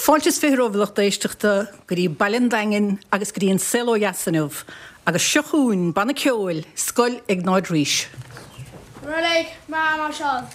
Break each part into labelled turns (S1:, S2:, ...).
S1: Fáilte is 20 romhaibh a lucht éisteachta go dtí Baile an Daingin agus go dtí an Saol Ó Dheas inniu agus seo chugainn banna ceoil Scoil Iognáid Rís.
S2: Reilig Máirseáil.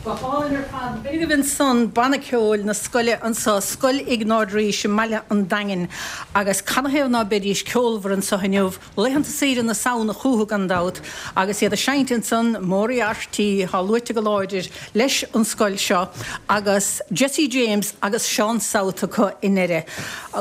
S1: Go hálainn ar fad. B'in agaibh ansan banna ceoil na scoile anso, Scoil Iognáid Rís i mBaile an Daingin. Agus canathaobh ná beidís ceolmhar anso inniu? Laethanta saoire na Samhna chúthu gan dabht agus iad ag seinnt ansan Moriarty thá luaite go láidir leis an scoil seo agus Jesse James agus Seán South acu i nDoire.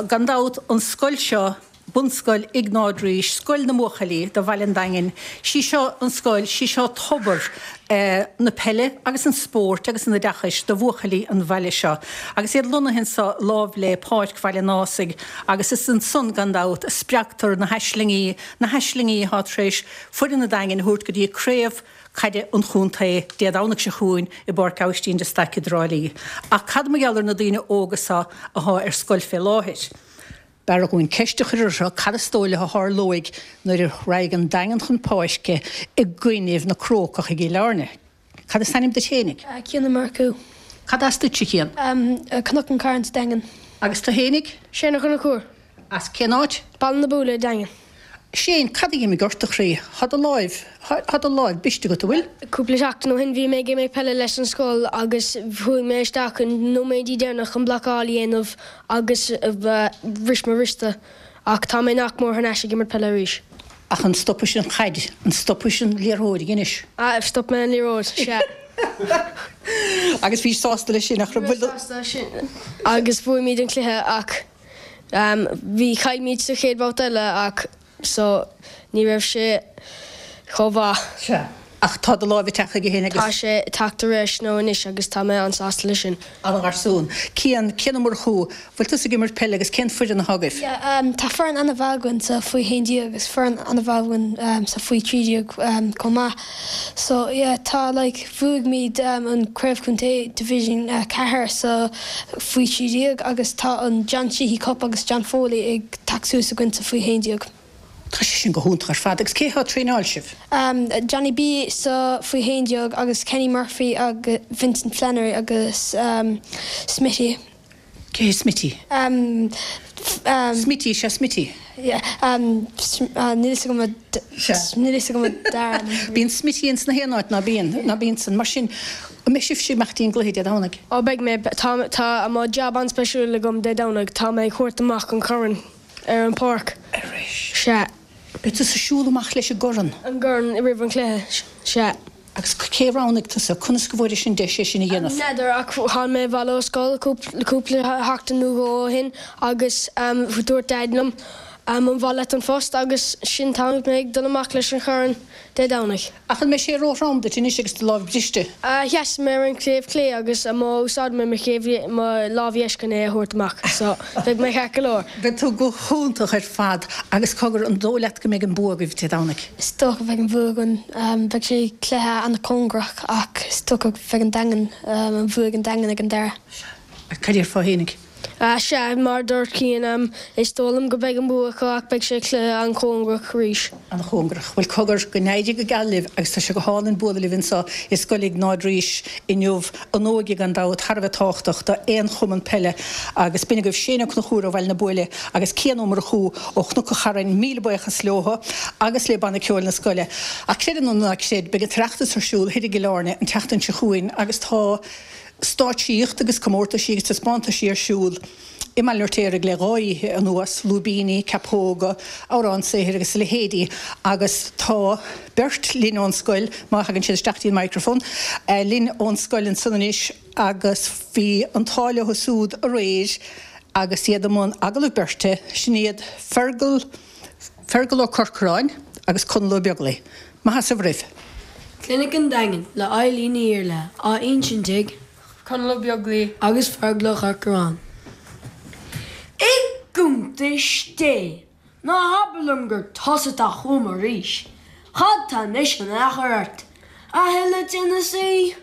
S1: Gan dabht an scoil seo, Bunscoil Iognáid Rís, scoil na mbuachaillí do Bhaile an Daingin, sí seo an scoil, sí seo tobar na peile agus an spóirt agus an oideachais do bhuachaillí an bhaile seo. Agus iad lonnaithe anso lámh le Páirc Bhaile an Ásaigh agus is ansan gan dabht a spreagtar na haislingí, na haislingí athá tar éis foireann an Daingin a thabhairt go dtí craobh caide an chontae Dé Domhnaigh seo chugainn i bPáirc Aibhistín de Staic i dTrá Lí. Ach cad mar gheall ar na daoine óga seo athá ar scoil fé láthair? B'fhearr dhúinn ceist a chur orthu cad is dóigh leo a tharlóidh nuair a raghaidh an Daingean chun páirce i gcoinnibh na Crócach i gCill Airne. Cad is ainm duit fhéinig?
S2: Cian Ó Murchú.
S1: Cad as duit, a Chian?
S2: Cnoc an Chairn sa Daingean.
S1: Agus tú fhéinig?
S2: Shane Ó Conchúir.
S1: As cén áit?
S2: Baile na Búille, Daingean.
S1: Shane, cad a d'imigh ort, a chroí? Thá do láimh, thá do láimh briste agat, an bhfuil?
S2: Cúpla seachtain ó shin bhí mé ag imirt peile leis an scoil agus chuaigh mé isteach an nóiméidí deireanach chun blocáil a dhéanamh agus bhris mo wriosta ach tá mé nach mór thar n-ais ag imirt peile arís.
S1: Ach an stopais an chaid, an stopais an liathróid anois?
S2: Ah, stop mé an liathróid, sea.
S1: Agus bhís sásta leis sin, nach raibh?
S2: Bhí mé sásta leis sin. Agus bhuaigh muid an cluiche ach bhí, chaill muid sa chéad bhabhta eile ach so ní raibh sé chomh mhaith.
S1: Sea. Ach tá do láimh ag teacht chuige féin agus.
S2: Tá sé ag teacht ar ais now anois agus tá mé an-sásta leis sin.
S1: Ana-gharsún. Cian, Cian Ó Murchú, bhfuil tusa ag imirt peile agus cén foireann athá agaibh?
S3: Yeah, tá foireann an-mhaith againn sa faoi 11 agus foireann an-mhaith againn sa faoi 13 chomh maith. So yeah, tá like bhuaigh muid an Craobh Chontae Division 4 sa faoi 13 agus tá an John Sheehy Cup agus John Foley ag teacht suas againn sa faoi 11.
S1: Tá sé sin go hiontach ar fad. Agus cé atá ag traenáil sibh?
S3: Johnny B sa faoi 11 agus Kenny Murphy agus Vincent Flannery agus Smitty.
S1: Cé hé Smitty? Smitty, sea Smitty.
S3: Níl fhios agam a níl fhios agam a dara ainm.
S1: Bíonn Smitty ins na haon áit, ná bíonn? Ná bíonn san? Mar sin, an mbeidh sibhse ag imeacht dtí an gcluiche Dé Domhnaigh?
S2: Ó beidh mé. Tá tá mo jab an-speisiúil agam Dé Domhnaigh. Tá mé ag thabhairt amach an corn. Ar an pháirc.
S1: Arís.
S2: Sea.
S1: Beidh tusa ag siúl amach leis an gcorn.
S2: An gcorn roimh an chluiche. Sea.
S1: Agus cé a roghnaigh tusa? Conas go bhfuairis an deis é sin a dhéanamh?
S2: N'fheadar, ach tháinig mé abhaile ó scoil cúpla seachtain nó dhó ó shin agus dúirt Daid liom. An mhaith leat an post agus sin tá mé ag dul amach leis an chorn Dé Domhnaigh.
S1: Ach an mbeidh sé róthrom duit anois agus do lámh briste?
S2: Sheas mé ar an taobh clé agus má úsáidim mé mo chéibh mo lámh dheis chun é a thabhairt amach so beidh mé ceart go leor.
S1: Beidh tú go hiontach ar fad agus cogar, an dóigh leat go mbeidh an bua agaibh Dé Domhnaigh?
S3: Is dócha bheidh an bua againn. Beidh sé cluiche an-chóngarach ach is dócha bheidh an Daingean, an bhua ag an Daingean ag an deireadh.
S1: Cad a déarfá fhéinig?
S2: Sea, mar a dúirt Cian, is dóigh liom go mbeidh an bua acu ach beidh sé cluiche an-chóngarach arís.
S1: An-chóngarach. Bhuel, cogar, go n-éirí go geal libh agus tá sé go hálainn bualadh libh anseo i Scoil Iognáid Rís inniu. An óige gan dabht thar a bheith tábhachtach do aon chumann peile agus b'in agaibh Shane Ó Conchúir ó Bhaile na Buaile agus Cian Ó Murchú ó Chnoc an Charrain, míle buíochas leothu agus le Banna Ceoil na scoile. Ach creid é nó ná creid, beidh an tOireachtas ar siúl thoir i gCill Airne an tseachtain seo chugainn agus tá stáitsíocht agus comórtaisí agus taispeántaisí ar siúl i mBaile an Fheirtéaraigh le dha oíche anuas, lúibíní, ceapóga, amhráin saothair agus a leithéidí agus tá beirt linn ón scoil, má thagann siad isteach dtí an microphone, linn ón scoil ansan anois agus bhí an t-ádh leo siúd aréir agus iad i mbun agallamh beirte, sin iad Fergal, Fergal Ó Corcoráin agus Conall Ó Beaglaoi. Maith as ucht a bhreith.
S2: Clinic an Daingin le Eileen Ní Iarlaithe á insint ag.
S4: Conall Ó Beaglaoi.
S2: Agus Fergal Ó Corcoráin.
S5: I gcuntais Dé! Ná habair liom gur tusa atá chugam arís. Cad tá anois in aon chor ort? A thuilleadh tinneasaí?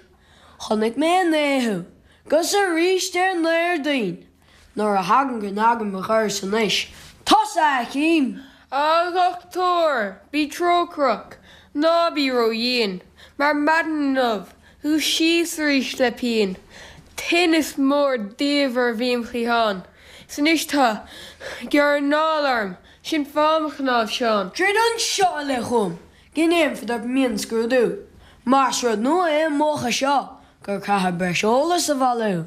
S5: Chonaic mé inné thú, 'gus aríst ar an Déardaoin. Nuair a thagann go n-agaim mo dhoras anois, tusa a chím!
S4: A dhochtúir, bí trócaireach, ná bí ró-dhian, mar maidin inniu, dhúisíos arís le pian, tinneas mór diamhair a bhí im chliathán, 's anois tá gearradh anála orm, sin fáth mo chnáimhseáin.
S5: Druid anseo i leith chugam, go ndéanfad ort mionscrúdú, mar is rud nua é an múchadh seo, gur caitheadh breis eolais a bhailiú.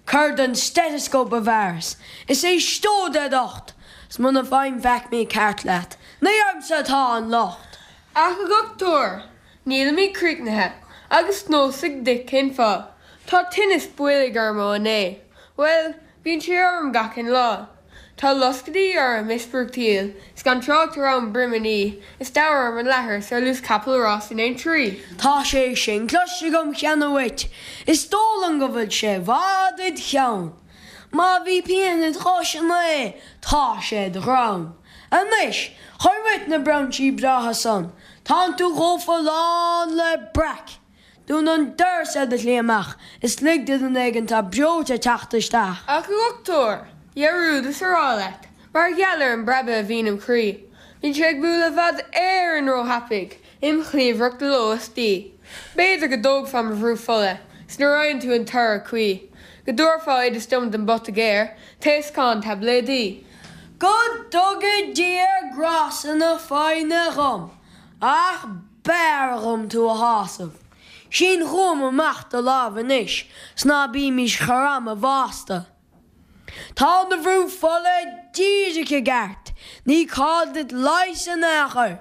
S5: Cuir den stethoscope i bhfearas is éisteod le docht, 's muna bhfaighim faic mícheart leat, ní ormsa atá an locht.
S4: Ach a dhochtúir, nílimid críochnaithe, agus n'fhios duit cén fáth, tá tinneas boilg orm ó inné, bhuel, bíonn sé orm gach aon lá. Tá loscaidí orm is brúchtaíl, 's gan trácht ar am broimíní, is diamhair orm an leathar ar luas capall ráis in Aintree.
S5: Tá sé sin cloiste agam cheana uait, is dóigh liom go bhfuil sé i bhfad id cheann. Má bhí pian id chois inné, tá sé id dhronn. Anois, cuir uait na brainsí breátha san, tánn tú chomh folláin le breac. Dún an doras ar do shlí amach is lig do dhuine éigin atá breoite teacht isteach.
S4: Ach a dhochtúir, dhearúdas a rá leat, mar gheall ar an bpreabadh a bhíonn im chroí, bíonn sé ag bualadh i bhfad Éireann róthapaidh im chliabhrach de ló is d'oíche. B'fhéidir go dtógfá mo bhrú fola, 's nuair a fhaigheann tú an toradh cuí, go dtabharfá oideas dom don bpota géar, taoscán taibléidí.
S5: Go dtuga Dia grásta na foighne dhom, ach B'fhearr dhom tú a shásamh. Sín chugam amach do lámh anois 's ná bímis chur ama bhásta. Tá do bhrú fola díreach i gceart, ní call duit leigheas in aon chor.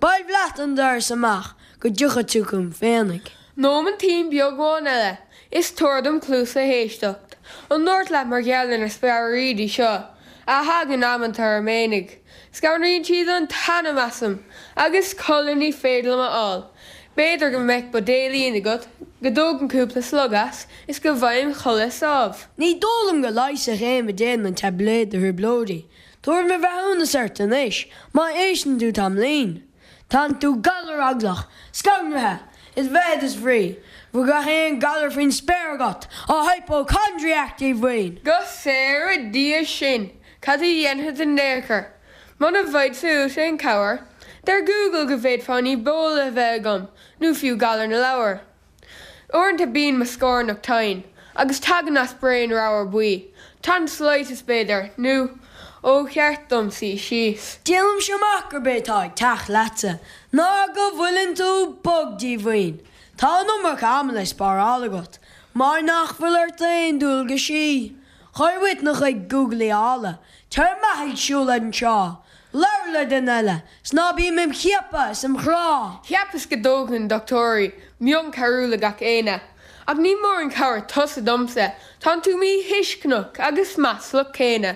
S5: Bailbh leat an doras amach go dtiocfaidh tú chugam féinig.
S4: Nóimintín beag amháin eile is tabhair dom cluas le héisteacht. An ndúrt leat mar gheall ar na speabhraídí seo a thagann amanta orm fhéinig? Scanraíonn siad an t-anam asam agus codladh ní féidir liom a fháil. B'fhéidir go mbeadh buidéilín agat go dtógainn cúpla slog as is go bhfaighinn codladh sámh.
S5: Ní dóigh liom go leigheasfadh aon bhuidéal na taibléid do thrioblóidí. Tabharfaidh mé breithiúnas ort anois má éisteann tú tamaillín. Tánn tú galareaglach, scanraithe, is bheith is bhrí go bhfuil gach aon galar faoin spéir agat, a hypochondriac díomhaoin!
S4: Go saora Dia sinn! Cad a dhéanfad in aon chor? Muna bhfaighidse uait aon chabhair, deir Google go bhféadfá an Ebola a bheith agam, nó fiú galar na leabhar. Uaireanta bíonn mo scornach tinn, agus tagann as braon ramhar buí, tonsillitis b'fhéidir, nó ó cheart dom suí síos.
S5: Déanaimse amach gurb é atá ag teacht leatsa ná go bhfuileann tú bog díomhaoin. Tá an iomarca ama le spáráil agat, mar nach bhfuil ort aon dualgaisí. Cuir uait do chuid gúglaíála, tar amach ag siúl ar an trá, labhair le duine eile, 's ná bí im chiapadh is im chrá!
S4: Cheapas go dtógann dochtúirí mionn carúla gach éinne, ach ní mór an chabhair tusa domsa, tánn tú míthuisceanach agus maslach céanna.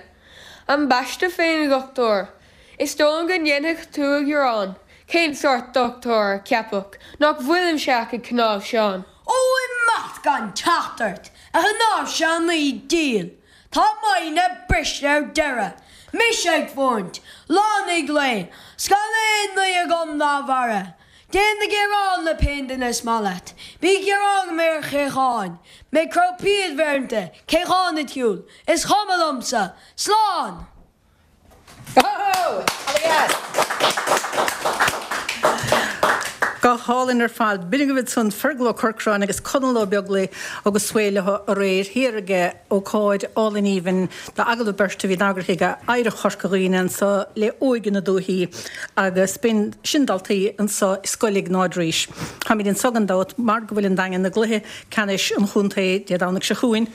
S4: Ambaiste féin a dhochtúir! Is dóigh liom go ndéanfadh tú a ghearán. Cén sórt dochtúir a cheapfadh nach bhfuilimse ach ag cnáimhseán?
S5: Ó, imeacht gan teacht ort, a chnáimhseánaí dhil! Tá m'fhoighne briste ar deireadh. Mise ag fóint, lá i ndiaidh lae, 's gan aon ní agam dá bharra. Déan do ghearán le pé duine is maith leat. Bí ag gearán go mbeidh ar Chaocháin. Mé ag cró piad bhéaranta, Caochán id shiúl, is cuma liomsa! Slán!
S1: Go hálainn ar fad. B'in agaibh ansan Fergal Ó Corcráin agus Conall Ó Beaglaoich agus sway leo aréir thiar ag ócáid álainn aoibhinn d'agallamh beirte a bhí eagraithe ag Oidhreacht Chorca Dhuibhne anso le Óige na Dúichí agus b'in sin daltaí anso i Scoil Iognáid Rís. Táimid anso gan dabht mar go bhfuil an Daingean i gcluiche ceannais an chontae Dé Domhnaigh seo chugainn.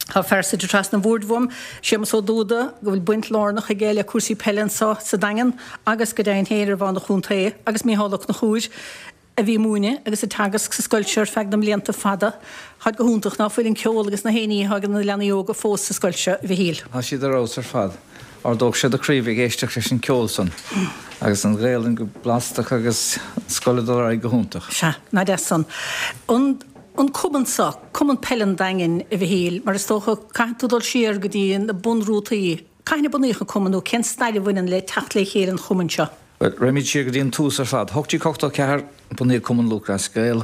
S1: Tá fear suite trasna an bhoird uaim, Séamus Ó Dúda, go bhfuil baint lárnach aige le cúrsaí peile anso sa Daingean agus go deimhin féin ar bhonn an chontae, agus Micheál Ó Conchúir, a bhí ag múineadh agus ag teagasc sa scoil seo ar feadh na mblianta fada. Táid go hiontach, ná fuil an ceol agus na haon ní atá ag na leanaí óga fós sa scoil seo, a Mhichíl.
S6: Tá siad ar fheabhas ar fad. Ardódh sé do chroí bheith ag éisteacht leis an ceol san agus an Ghaelainn go blastach agus an scoil ag dul ar aghaidh go hiontach.
S1: Sea, nach deas san. An. An cumann seo, Cumann Peile an Daingin, a Mhichíl, mar is dócha, caithfidh tú dul siar go dtí na bunrútaí. Cathain a bunaíodh an cumann nó cén stair a bhaineann le teacht le chéile an chumainn seo?
S6: Bhuel, raghaimid siar go dtí an tús ar fad. 1884, bunaíodh Cumann Lúthchleas Gael.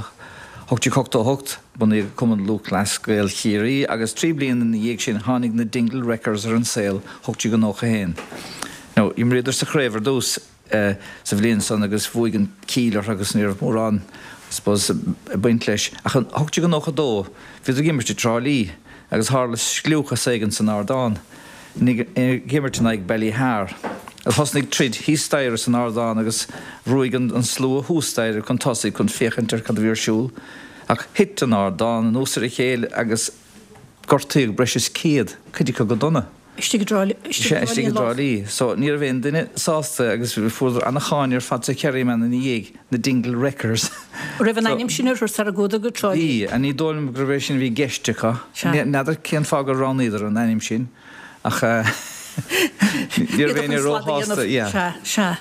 S6: 1888, bunaíodh Cumann Lúthchleas Gael Chiarraí agus 3 bliana ina dhiaidh sin tháinig na Dingle Wreckers ar an saol, 1891. Now, imríodar sa chraobh ar dtús. sa bhliain san agus bhuaigh an Cill orthu agus ní raibh mórán I suppose ag baint leis. Ach in 1892 bhíodar ag imirt i dTrá Lí agus tharla scliúchas éigin san ardán, ag imirt in aghaidh Ballyhar. Agus thosnaigh troid thíos staighre san ardán agus bhrúigh an slua thuas staighre chun tosaigh chun féachaint ar cad a bhí ar siúl. Ach thit an ardán anuas ar a chéile agus gortaíodh breis is 100, cuid acu go dona.
S1: Istigh i dTrá Lí.
S6: Sea, istigh i dTrá Lí. So, ní raibh aon duine sásta agus fuaireadar ana-cháineadh ar fad sa Kerryman ina dhiaidh, na Dingle Wreckers.
S1: An raibh an ainm sin orthu sara gcuadar go Trá
S6: Lí? Bhí, ní dóigh liom gurbh é sin a bhí i gceist acu. Sea. N'fheadar cén fáth gur roghnaíodar an ainm sin ach ní raibh éinne róshásta, yeah.
S1: Sea, sea.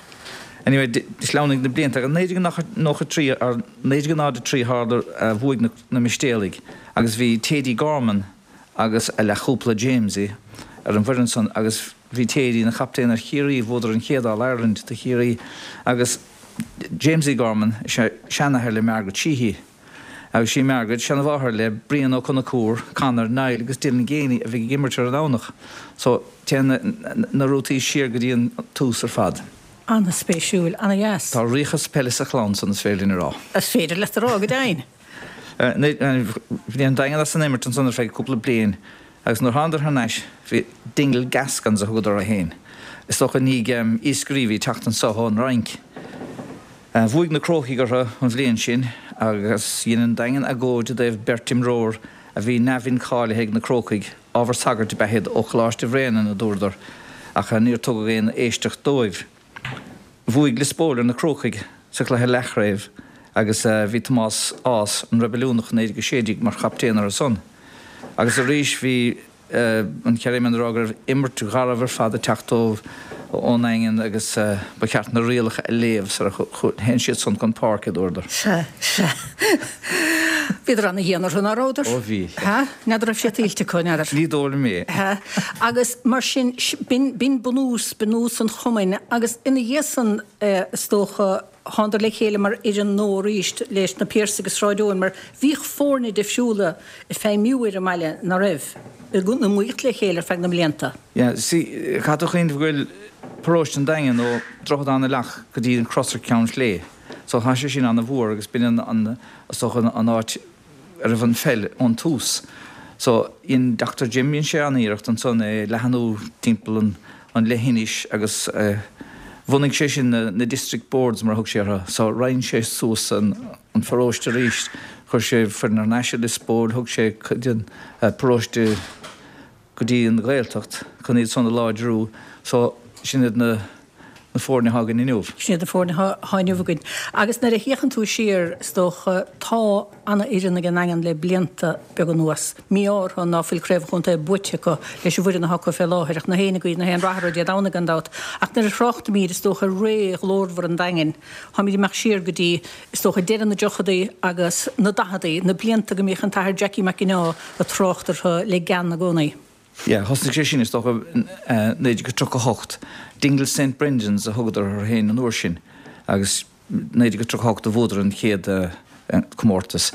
S6: Anyway, shleamhnaigh na blianta agus 1993, or 1903 tharla, bhuaigh na Mistéalaigh agus bhí Thady Gorman, agus a leathchúpla Jamesie ar an bhfoireann san agus bhí Thady ina chaptaen ar Chiarraí, bhuadar an chéad All Ireland do Chiarraí agus Jamesie Gorman is ea seanathair le Margaret Sheehy agus sí Margaret seanamháthair le Brian Ó Conchúir, Conor, Niall agus Dylan Geaney a bhí ag imirt ar an Domhnach. So téann na rútaí siar go dtí an tús ar fad.
S1: Ana-spéisiúil, ana-dheas.
S6: Tá ríochas peile sa chlann san is féidir linn a rá.
S1: Is féidir leat a rá, go deimhin.
S6: Bhí an Daingean as an imirt ansan ar feadh cúpla bliain agus nuair thánadar thar n-ais bhí Dingle Gascons a thugadar orthu féin. Is dócha i ndiaidh iascairí a bhí ag teacht anso ón Fhrainc. Bhuaigh na Crócaigh orthu an bhliain sin agus dhein an Daingean agóid i dtaobh beirt imreoir a bhí neamh-incháilithe ag na Crócaigh, ábhar sagairt ab ea iad ó Choláiste Bhréanainn, a dúradar, ach níor tugadh aon éisteacht dóibh. Bhuaigh Lios Póil ar na Crócaigh sa chluiche leathchraobh agus bhí Tomás Ághas, an Reibiliúnach 1916, mar chaptaen orthu san. Agus arís bhí an Kerryman ag rá go raibh imirt gharbh ar fad ag teacht dóibh ón nDaingean agus ba cheart na rialacha a léamh sara théann siad san chun páirce, a dúradar.
S1: Sea, sea. Bhíodar ana-dhian orthu, ná rabhadar?
S6: Ó bhí.
S1: Sea? N'fheadar raibh sé tuillte acu, n'fheadar.
S6: Ní dóigh liom é.
S1: Sea. Agus mar sin, b'in, b'in bunús, bunús an chumainn agus ina dhiaidh san, is dócha, thánadar le chéile mar fhoireann nua arís leis na Piarsaigh i Sráid Eoin mar bhíodh foirne difriúla ag feidhmiú ar an mbaile, ná raibh, ag iomaíocht le chéile ar feadh na mblianta.
S6: Yeah, see, caithfidh tú cuimhneamh go bhfuil paróiste an Daingin ó Droichead Átha na Leacht go dtí an Cros ar Cheann Sléibhe. So tá sé sin ana-mhór agus b'in an, an, is dócha an áit a raibh an pheil ón tús. So, dhein Doctor Jim, dhein sé an-iarracht ansan é leathanú timpeall an, an leithinis agus eh, bhunaigh sé sin na, na district boards mar a thug sé orthu. So, roinn sé suas an, an pharóiste arís, chuir sé foireann thar n-ais i Lios Póil, thug sé cuid den eh, paróiste go dtí an Ghaeltacht chun iad san a láidriú. So, sin iad na. na foirne atá againn inniu.
S1: Sin iad na foirne atá inniu againn. Agus nuair a fhéachann tú siar, is dócha, tá ana-fhoireann ag an nDaingean le blianta beaga anuas. Mí-ádh orthu ná fuil Craobh an Chontae buaite acu leis an bhfoireann atá acu fé láthair, ach nach éinne ag guí na haon rath orthu Dé Domhnaigh gan dabht. Ach nuair a thráchtaimíd, is dócha, ar ré ghlórmhar an Daingin, táimíd ag imeacht siar go dtí, is dócha, deireadh na dtríochadaí agus na daicheadaí, na blianta go mbíodh an tAthair Jackie Mac Ginneá ag trácht orthu le gean i gcónaí.
S6: Yeah, thosnaigh sé sin, is dócha, 1938. Dingle St Brendan's a thugadar orthu féin an uair sin agus 1938 a bhuadar an chéad comórtas.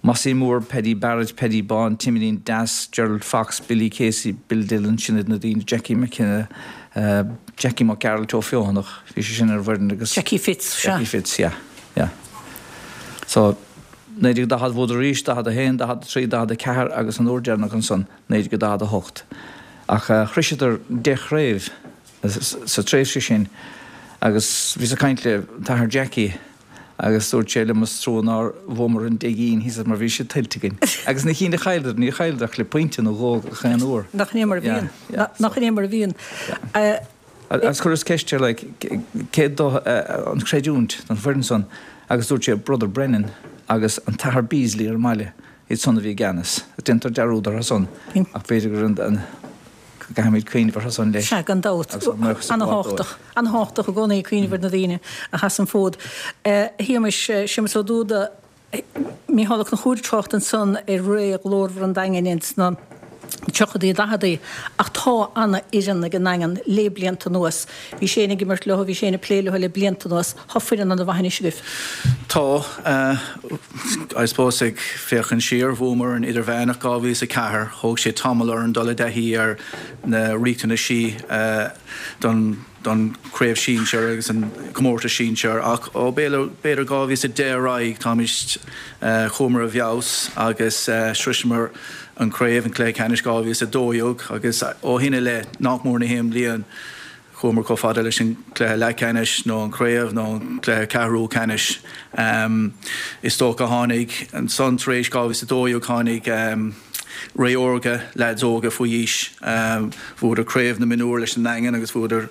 S6: Mossie Moore, Paddy Barrett, Paddy Bán, Timilín Deas, Gerald Fox, Billy Casey, Bill Dillon, sin iad na daoine, Jackie McKenna, Jackie Mac Gearailt Ó Feothanach, bhí sé sin ar an bhfoireann agus.
S1: Jackie Fitz,
S6: sea. Jackie Fitz, yeah, yeah. So, 1940 bhuadar arís, 41, 43, 44 agus an uair deireanach ansan, 1948. Ach shroiseadar 10 chraobh sa tréimhse sin agus bhíos ag caint le t-athair Jackie agus dúirt sé liom is trua nár bhuamar an 10 gcinn thíos mar bhí siad tuillte againn. Agus na cinn a chailleadar, níor chailleadar ach le pointe nó dhó gach aon uair.
S1: Nach in é mar a bhíonn. Nach in é mar a bhíonn.
S6: Agus chuireas ceist air like cé dó an chreidiúint don bhfoireann san agus dúirt sé Brother Brennan agus an tAthair Beasley ar an mbaile, iad san a bhí i gceannas. Déantar dearúd orthu san ach b'fhéidir gur an go gcaithfimid cuimhneamh orthu san leis.
S1: Sea, gan dabht. Agus ár mbuíochas a ghabháil dóibh. Ana-thábhachtach. Ana-thábhachtach i gcónaí cuimhneamh ar na daoine a sheas an fód. A Shéamais, Séamus Ó Dúda, Mícheál Ó Conchúir ag trácht ansan ar ré ghlórmhar an Daingin ins na tríochadaí, daicheadaí ach tá ana-fhoireann ag an nDaingean lé blianta anuas. Bhís féin ag imirt leo, bhís féin ag plé leo le blianta anuas. Tá foireann ana-mhaith anois agaibh.
S7: Tá. I suppose ag féachaint siar, bhuamar an Idirmheánach 2004. Thóg sé tamall orainn dul i dtaithí ar na riachtanaisí don don chraobh sinsir agus an comórtas sinsir ach ó b'fhéidir 2010 ar aghaidh táimid, chuamar i bhfeabhas agus shroiseamar an chraobh, an cluiche ceannais 2012 agus ó shin i leith nach mór na haon bhliain chuamar chomh fada leis an cluiche leathcheannais nó an chraobh nó an cluiche ceathrú ceannais. Is dócha tháinig ansan tar éis 2012 tháinig ré órga, leaids óga faoi aois. Bhuadar Craobh na Mionúr leis an nDaingean agus bhuadar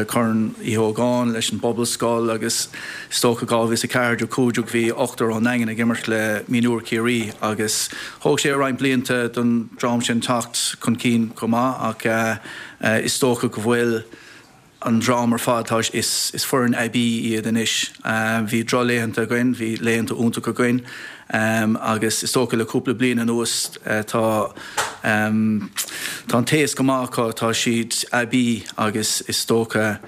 S7: Corn Uí Ógáin leis an bPobalscoil agus is dócha 2014, 15 bhí ochtar ón nDaingean ag imirt le Mionúir Chiarraí agus thóg sé roinnt blianta don dream sin teacht chun cinn chomh maith ach is dócha go bhfuil an dream ar fad, tá, is foireann aibí iad anois. Bhí drochlaethanta againn, bhí laethanta iontacha againn agus is dócha le cúpla bliain anuas tá, tá an taos go maith acu, tá siad aibí agus is dócha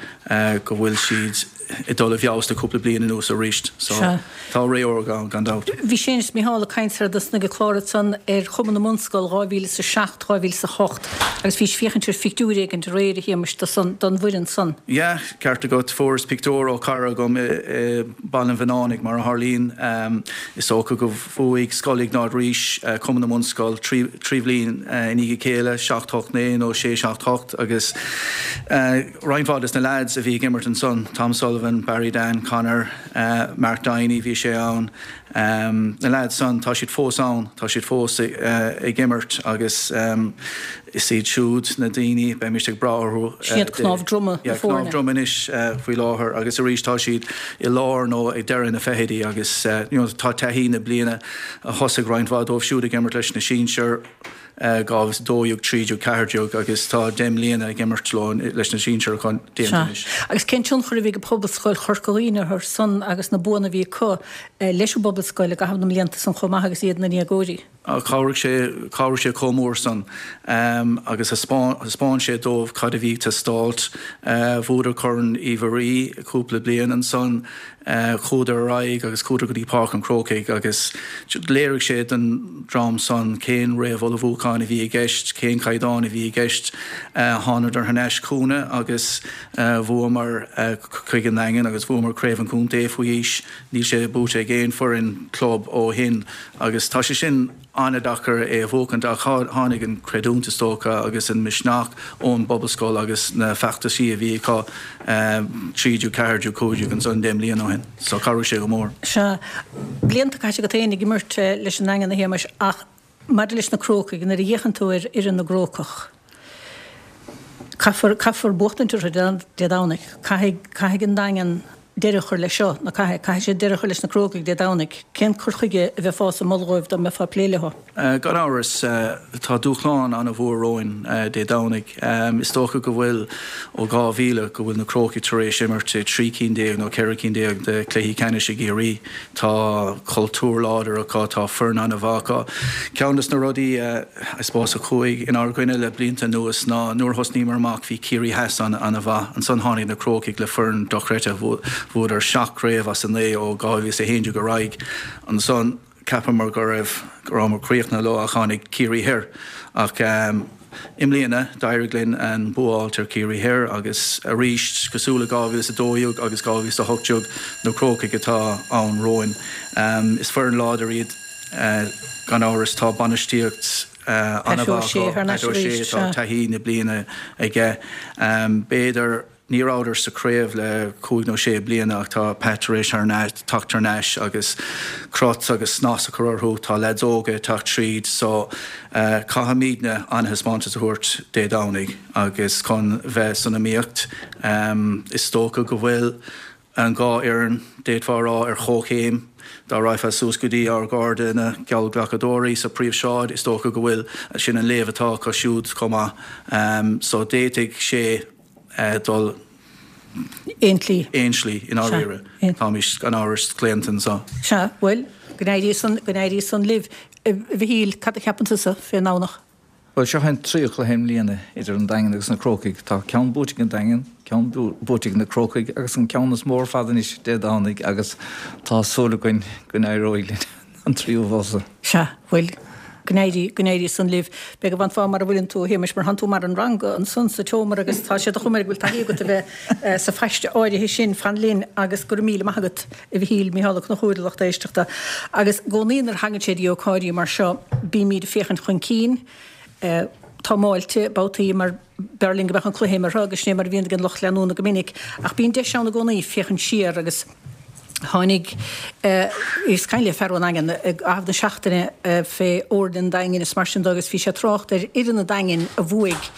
S7: go bhfuil siad ag dul i bhfeabhas le cúpla bliain anuas arís. So tá ré órga ann gan dabht.
S1: Bhí Séamus is Mícheál ag caint ar dtús ag an clár ansan ar Chumann na mBunscol 2007, 2008 agus bhís ag féachaint ar phictiúr éigint aréir a Shéamais do san, don bhfoireann san.
S7: Yeah, ceart agat. Fuaireas pictiúr ó chara agam i Baile an Bhuinneánaigh, mar a tharlaíonn. Is dócha go bhuaigh Scoil Iognáid Rís Cumann na mBunscol 3 bhliain i ndiaidh a chéile, 7, 8, 9 nó 6, 7, 8 agus roinnt mhaith des na leaids a bhí ag imirt ansan, Tom Sullivan, Barry Dan, Conor, Mark Downey, bhí sé ann. Na leaids san, tá siad fós ann, tá siad fós ag imirt agus is iad siúd na daoine, beimid ag brath orthu.
S1: Sin iad cnámh droma na
S7: foirne. Cnámh droma anois faoi láthair agus arís tá siad i lár nó ag deireadh na fichidí agus you know tá taithí na bliana a thosaigh roinnt mhaith dóibh siúd ag imirt leis na sinsir. 2012, 13, 14 agus tá 10 mbliana ag imirt leo leis na sinsir acu déanta
S1: anois. Agus cén tionchar a bhí ag Pobalscoil Chorca Dhuibhne orthu san agus na buanna a bhí acu leis an bPobalscoil i gcaitheamh na mblianta san chomh maith agus iad ina ndéagóirí?
S7: Chabhraigh sé, chabhraigh sé chomh mór san agus thaispeáin sé dóibh cad a bhí ag teastáilt. Bhuadar Corn Uí Mhuirí cúpla bliain ansan. Chuadar ar aghaidh agus chuadar go dtí Páirc an Chrócaigh agus léirigh sé don dream san cén réamhullmhúchán a bhí i gceist, cén caighdeán a bhí i gceist. Thánadar thar n-ais chugainne agus bhuamar chuig an nDaingean agus bhuamar Craobh an Chontae faoi aois. Níl sé buaite ag aon foireann club ó shin agus tá sé sin an-deacair é a bhuachaint ach tháinig an chreidiúint is dócha agus an misneach ón bPobalscoil agus na feachtaisí a bhí acu 13, 14, 15 ansan 10 mbliana ó shin. So chabhraigh sé go mór.
S1: Sea. Blianta caite agat féin ag imirt leis an nDaingean a Shéamais ach maidir leis na Crócaigh, nuair a fhéachann tú ar fhoireann na gCrócach. Caithfear, caithfear buachtaint orthu Dé Domhnaigh. Caithfidh, caithfidh an Daingean deireadh a chur leis seo, nó caithfidh, caithfidh siad deireadh a chur leis na Crócaigh Dé Domhnaigh. Cén cur chuige a bheifeása ag moladh dhóibh dá mbeifeá ag plé leo?
S7: Gan amhras, tá dúshlán an-mhór romhainn Dé Domhnaigh. Is dócha go bhfuil ó 2000 go bhfuil na Crócaigh tar éis imirt i 13 cinn nó 14 cinn de chluichí ceannais i gCiarraí. Tá cultúr láidir acu, tá foireann an-mhaith acu. Ceann de na rudaí, I suppose, a chuaigh inár gcoinne le blianta anuas ná nuair a thosnaíomar amach bhí Ciarraí Theas an-mhaith. Ansan tháinig na Crócaigh le foireann dochreidte. Bhuadar seacht gcraobh as a naoi ó 2011 ar aghaidh. Ansan cheapamar go raibh, go rabhamar críochnaithe leo ach tháinig Ciarraí Thoir. Ach i mbliana d'éirigh linn an bua a fháilt ar Chiarraí Thoir agus arís, cosúil le 2012 agus 2018, na Crócaigh atá ann romhainn. Is foireann láidir iad gan amhras. Tá bainistíocht an-mhaith acu, Pat O'Shea, tá taithí na bliana aige. B'fhéidir. Ní rabhadar sa chraobh le cúig nó sé bliana ach tá Pat tar éis teacht thar n-ais agus crot agus snas a chur orthu. Tá leaids óga ag teacht tríd so caithfimidne an-thaispeántas a thabhairt Dé Domhnaigh agus chun bheith san iomaíocht. Is dócha go bhfuil an dhá fhoireann, d'fhéadfá a rá, ar chomhchéim. Dá raghfá suas go dtí ár gcairde na geallghlacadóirí sa Phríomhshráid, is dócha go bhfuil, sin an léamh atá acu siúd chomh maith. So d'fhéadfadh sé. dul
S1: aon tslí.
S7: Aon tslí, i ndáiríre. Táimís gan amhras claonta anseo.
S1: Sea, bhuel, go n-éirí san, go n-éirí san libh. A Mhichíl, cad a cheapann tusa fén nDomhnach?
S6: Bhuel, seo é an tríú cluiche i mbliana idir an Daingean agus na Crócaigh. Tá ceann buaite ag an Daingean, ceann buaite ag na Crócaigh agus an ceann is mó ar fad anois Dé Domhnaigh agus tá súil againn go n-éireoidh linn. an tríú bhabhta.
S1: Sea, bhuel, go n-éirí, go n-éirí san libh. B'fhéidir go bhfanfá mar a bhfuileann tú, a Shéamais, mar thánn tú mar an ranga ansan sa tseomra agus tá sé de chuma air go bhfuil taithí agat a bheith sa phaiste áirithe sin. Fan linn agus go raibh míle maith agat, a Mhichíl, Mícheál Ó Conchúir, a lucht éisteachta. Agus i gcónaí nuair a thagann sé dtí ócáidí mar seo, bímíd ag féachaint chun cinn. Támáilte, babhtaí mar b'fhearr linn go mbeadh an cluiche imeartha agus sin é mar a bhíonn ag an lucht leanúna go minic. Ach bíonn deis ann i gcónaí féachaint siar agus tháinig, bhíos ag caint le fear ón nDaingean i gcaitheamh na seachtaine fé fhoirne an Daingin is mar sin de agus bhí sé ag trácht ar fhoireann an Daingin a bhuaigh,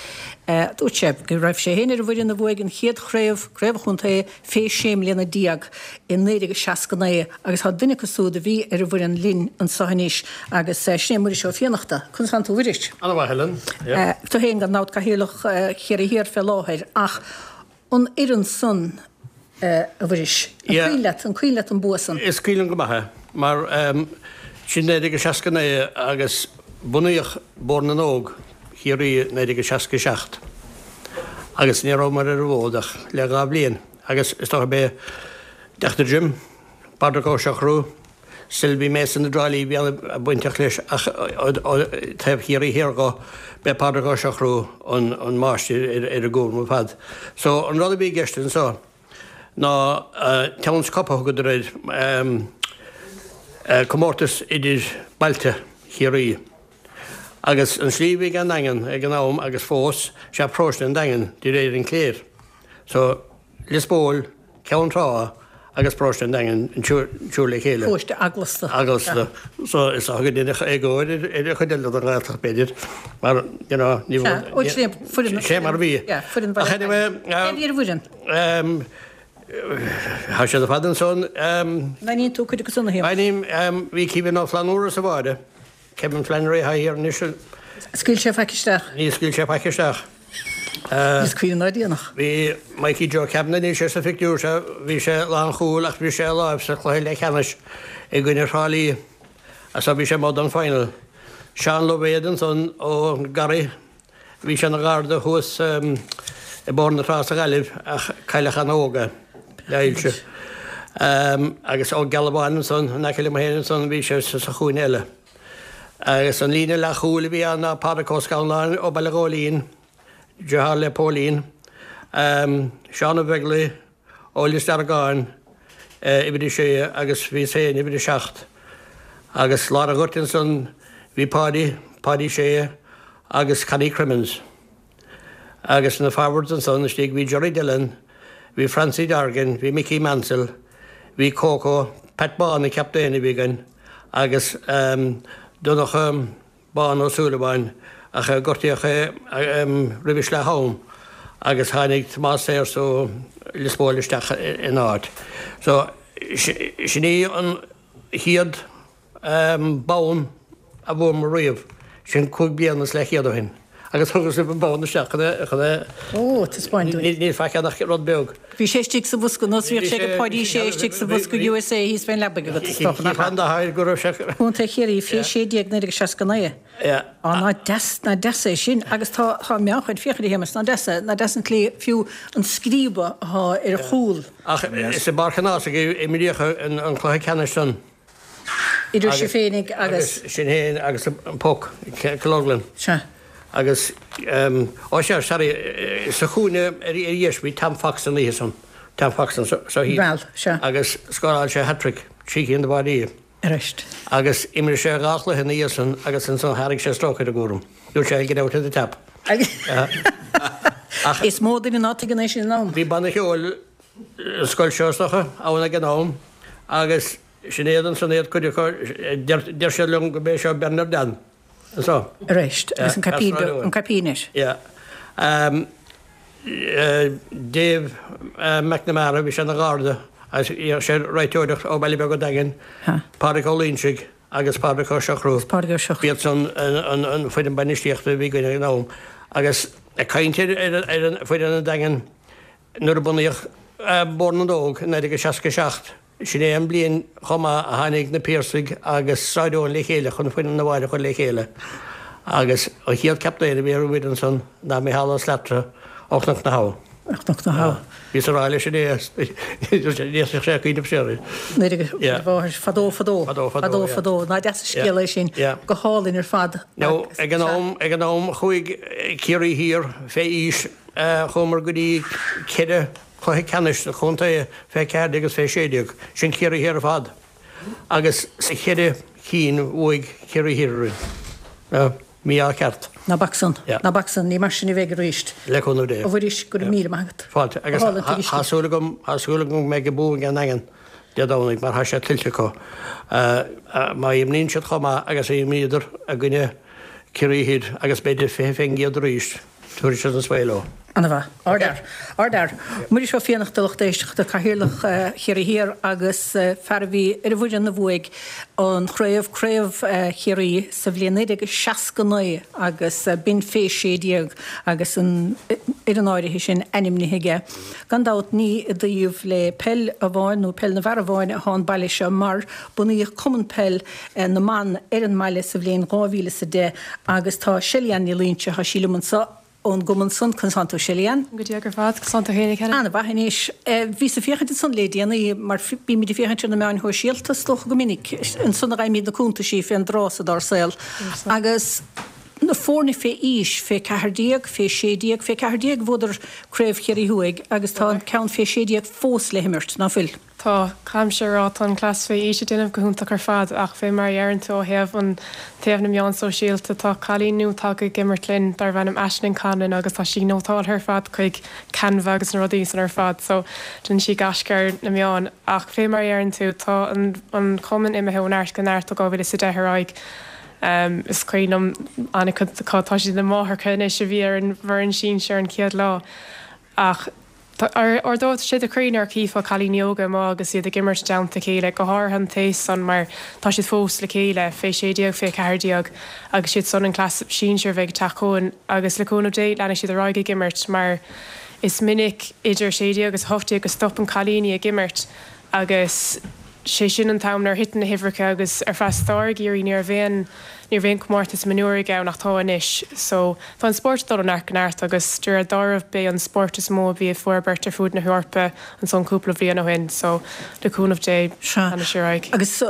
S1: dúirt sé go raibh sé féin ar an bhfoireann a bhuaigh an chéad chraobh, craobh an chontae, fé 16 mbliana i 1969 agus tá duine acu súd a bhí ar an bhfoireann linn anso anois agus sin é Muiris Ó Fiannachta. Conas tánn tú a Mhuiris?
S8: Ana-mhaith, Helen.
S1: Yeah. Tú féin gan dabht Cathaoirleach Chiarraí Thiar fé láthair ach an fhoireann san a Mhuiris, an cuimhin leat, an cuimhin leat an bua san?
S8: Is cuimhin liom go maith é mar sin 1969 agus bunaíodh Bord na nÓg Chiarraí 1967 agus ní rabhamar ar an bhfód ach le dha bhliain agus is dócha b'é Deachtair Jim, Pádraic Ó Siochrú, Sylvie Mason i dTrá Lí a bhí an-bainteach leis ach ó thaobh Chiarraí Thiar dho b'é Pádraic Ó Siochrú an máistir ar an gcúram ar fad. So an rud a bhí i gceist anso ná Towns Cup a thugadar air, comórtas idir bailte Chiarraí. Agus an slí a bhí ag an nDaingean ag an am agus fós, sea paróiste an Daingin de réir an chléir. So, Lios Póil, Ceann Trá agus paróiste an Daingin an triúr le chéile.
S1: Paróiste eaglasta.
S8: Eaglasta. So, is dócha go ndéanfadh éagóir ar an chuid eile den Ghaeltacht b'fhéidir, mar, you know, ní
S1: bhfuil. Ó, sin é foireann.
S8: Sé mar a bhí.
S1: Yeah, foireann Bhaile
S8: Ach anyway.
S1: Cé a bhí ar an bhfoireann?
S8: Tá siad ar fad ansan.
S1: An aithníonn tú cuid acu san, a Shéamais?
S8: Aithním. Bhí Kevin Ó Flannúra sa bháire. Kevin Flannery atá thiar anois.
S1: Scaoil sé faic isteach.
S8: Níor scaoil sé faic isteach.
S1: Níos cuimhne ná déanach.
S8: Bhí Mikey Joe Kavanagh, níl sé sa phictiúr seo, bhí sé lánchúil ach bhris sé a láimh sa chluiche leathcheannais i gcoinne Thrá Lí so bhí sé amuigh don final. Seán Loibhéad ansan ó Garraí. Bhí sé ina gharda thuas i mBóthar na Trá sa Ghaillimh ach cailleadh an-óg é le hailse. Agus Ó Gealbháin ansan in aice liom féin ansan bhí sé sa chúinne eile. Agus an líne leathchúil a bhí ann ná Pádraic Ó Scanláin ó Baile Ghóilín, deartháir le Póilín, Seán Ó Beaglaoich, Ó Lios Deargáin, uimhir a sé, agus bhíos féin, uimhir a seacht. Agus lár an ghoirt ansan bhí Páidí, Páidí Sé agus Connie Crimmins. Agus na forwards ansan istigh bhí Gerry Dillon, bhí Francie Dorgan, bhí Mickey Mansell, bhí Coco, Pat Bán an captaen a bhí againn agus Donncha, Bán Ó Súilleabháin, ach gortaíodh é roimh leath-am. agus tháinig Tomás Sayers ó Lios Póil isteach ina áit. So sin é an chéad bonn a bhuamar riamh, sin 5 bliana is leathchéad ó shin. Agus thugas libh an bonn isteach chun é, chun é.
S1: Ó, taispeáint dúinn.
S8: Níl faic ann ach rud beag.
S1: Bhí sé istigh sa bhosca, nós bhíodh sé ag Páidí Sé istigh sa bhosca USA thíos fén leabaidh agat, is dócha, nach ea?
S8: Cheapfá an dath go raibh sé.
S1: Contae Chiarraí, fé 16, 1969.
S8: Yeah.
S1: Á, ná deas, ná deas é sin. Agus tá, tá meánchuid, féach air a Shéamais, ná deas é, ná deas an tslí, fiú an scríobadh athá ar a chúl.
S8: Ach is i bPáirc an Ághasaigh a imríodh an cluiche ceannais san.
S1: Idir sibh féinig
S8: agus. Agus sinn féin agus an Poc, Cill Orglan.
S1: Sea.
S8: Agus, ó sea, sorry, sa chúinne ar dheis bhí Tom Fox an oíche san, Tom Fox anso thíos.
S1: Bhal, sea.
S8: Agus scóráil sé hat-trick, 3 cinn de bháidí.
S1: Arís.
S8: Agus d'imir sé dhá chluiche ina dhiaidh san agus ansan thairg sé strócaire a gcúram. Dúirt sé I'll get out of the tap.
S1: Ach. Is mó duine ná tuigeann é sin in am.
S8: Bhí banna ceoil an scoil seo is dócha, ann ag an am agus sin iad ansan iad cuid acu, deir siad liom go b'é seo Bernard Dan
S1: anso. Arís, agus an caipín beag, an caipín air.
S8: Yeah. Dave McNamara, bhí sé ina gharda agus dhéanadh sé reiteoireacht ó Bhaile Beag an Daingin, Pádraig Ó Loingsigh agus Pádraig Ó Siochrú.
S1: Pádraig Ó Siochrú.
S8: B'iad san an foireann bainistíochta a bhí againn ag an am. Agus ag caint ar an foireann an Daingin, Nuair a bunaíodh Bord na nÓg i 1967, sin é an bliain chomh maith a tháinig na Piarsaigh agus Sráid Eoin le chéile chun foireann na bhfear a chur le chéile agus an chéad captaen a bhí ar an bhfoireann san ná Micheál Ó Slatara ó Chnoc na
S1: hAbha. Ó Chnoc na hAbha.
S8: Bhíos ag rá leis inné ní fhéadfadh sé cuimhneamh siar air.
S1: Nuair a mháthair fadó fadó.
S8: Fadó fadó,
S1: Fadó fadó. Ná deas an scéal é sin. Go hálainn ar fad.
S8: Now ag an am, ag an am chuaigh Ciarraí Thiar fé aois Chuamar go dtí ceithre chluiche ceannais sa chontae fé 14 agus fé 16, sin Ciarraí Thiar ar fad, agus sa cheithre cinn bhuaigh Ciarraí Thiar orainn. Mí-ádh ceart.
S1: Ná bac san. Ná bac san. Ní mar sin a bheidh arís.
S8: Le cúnamh Dé.
S1: A Mhuiris, go raibh míle maith agat.
S8: Fáilte. Agus tá súil agam, tá súil agam go mbeidh an bua ag an nDaingean Dé Domhnaigh mar tá sé tuillte acu. Má imríonn siad chomh maith agus a imríodar i gcoinne Ciarraí Thoir agus b'fhéidir 20% arís, Tabharfaidh siad an svae leo.
S1: Ana-mhaith. Ardfhear. Ardfhear. Muiris Ó Fiannachta, lucht éisteachta, Cathaoirleach Chiarraí Thiar agus fear a bhí ar an bhfoireann a bhuaigh an chraobh, Craobh Chiarraí, sa bhliain 1969 agus b'in fé 16 agus an fhoireann áirithe sin ainmnithe aige. Gan dabht ní i dtaobh le peil amháin nó peil na bhfear amháin atá an baile seo mar bunaíodh Cumann Peil na mBan ar an mbaile sa bhliain 2010 agus tá Shelly-Ann Ní Loingsigh, tá sí liom anseo ón gcumann san. Conas tánn tú Shelly-Ann?
S9: Go diaidh ar fad, conas tánn tú féin a Helen?
S1: Ana-mhaith anois. Bhíos ag féachaint ansan le déanaí mar bímid ag féachaint ar na meáin shóisialta is dócha go minic, ansan a fhaighimid na cuntaisí fén dtráth so dár saol agus na foirne fé aois, fé 14, fé 16, fé 14 bhuadar Craobh Chiarraí Thuaidh agus tá an ceann fé 16 fós le himirt, ná fuil?
S9: Tá, caithfimse a rá, tá an cleas fé aois ag déanamh go hiontach ar fad ach fé mar a dheireann tú ó thaobh an taobh na meán sóisialta, tá cailín nua tagtha ag imirt linn darbh ainm Aisling Conlon agus tá sí nótáltha ar fad chuig Canva agus na rudaí san ar fad so déanann sí gaisce ar na meáin ach fé mar a dheireann tú tá an an cumann imithe ó neart go neart ó 2010 ar aghaidh. Is cuimhin liom an-chuid acu, tá siad ina máithreacha anois a bhí ar an bhfoireann sinsir an chéad lá ach Ardódh sé do chroí nuair a chífeá cailíní óga amuigh agus iad ag imirt i dteannta a chéile, go háirithe an t-aos san mar tá siad fós le chéile, fé 16, fé 14, agus siad san an cleas sinsir a bheidh ag teacht chugainn agus le cúnamh Dé leanfaidh siad ar aghaidh ag imirt mar is minic idir 16 agus 18 go stopann cailíní ag imirt agus sé sin an t-am nuair a thiteann na huimhreacha agus ar feadh stair i gCiarraí ní raibh aon ní raibh aon comórtas mionúraigh ann ach tá anois so tá an spórt ag dul ó neart go neart agus de réir dealraimh b'é an spórt is mó a bhí ag forbairt ar fuaid na hEorpa ansan cúpla bhliain ó shin so le cúnamh Dé
S1: Sea
S9: leanfaidh sé ar aghaidh.
S1: Agus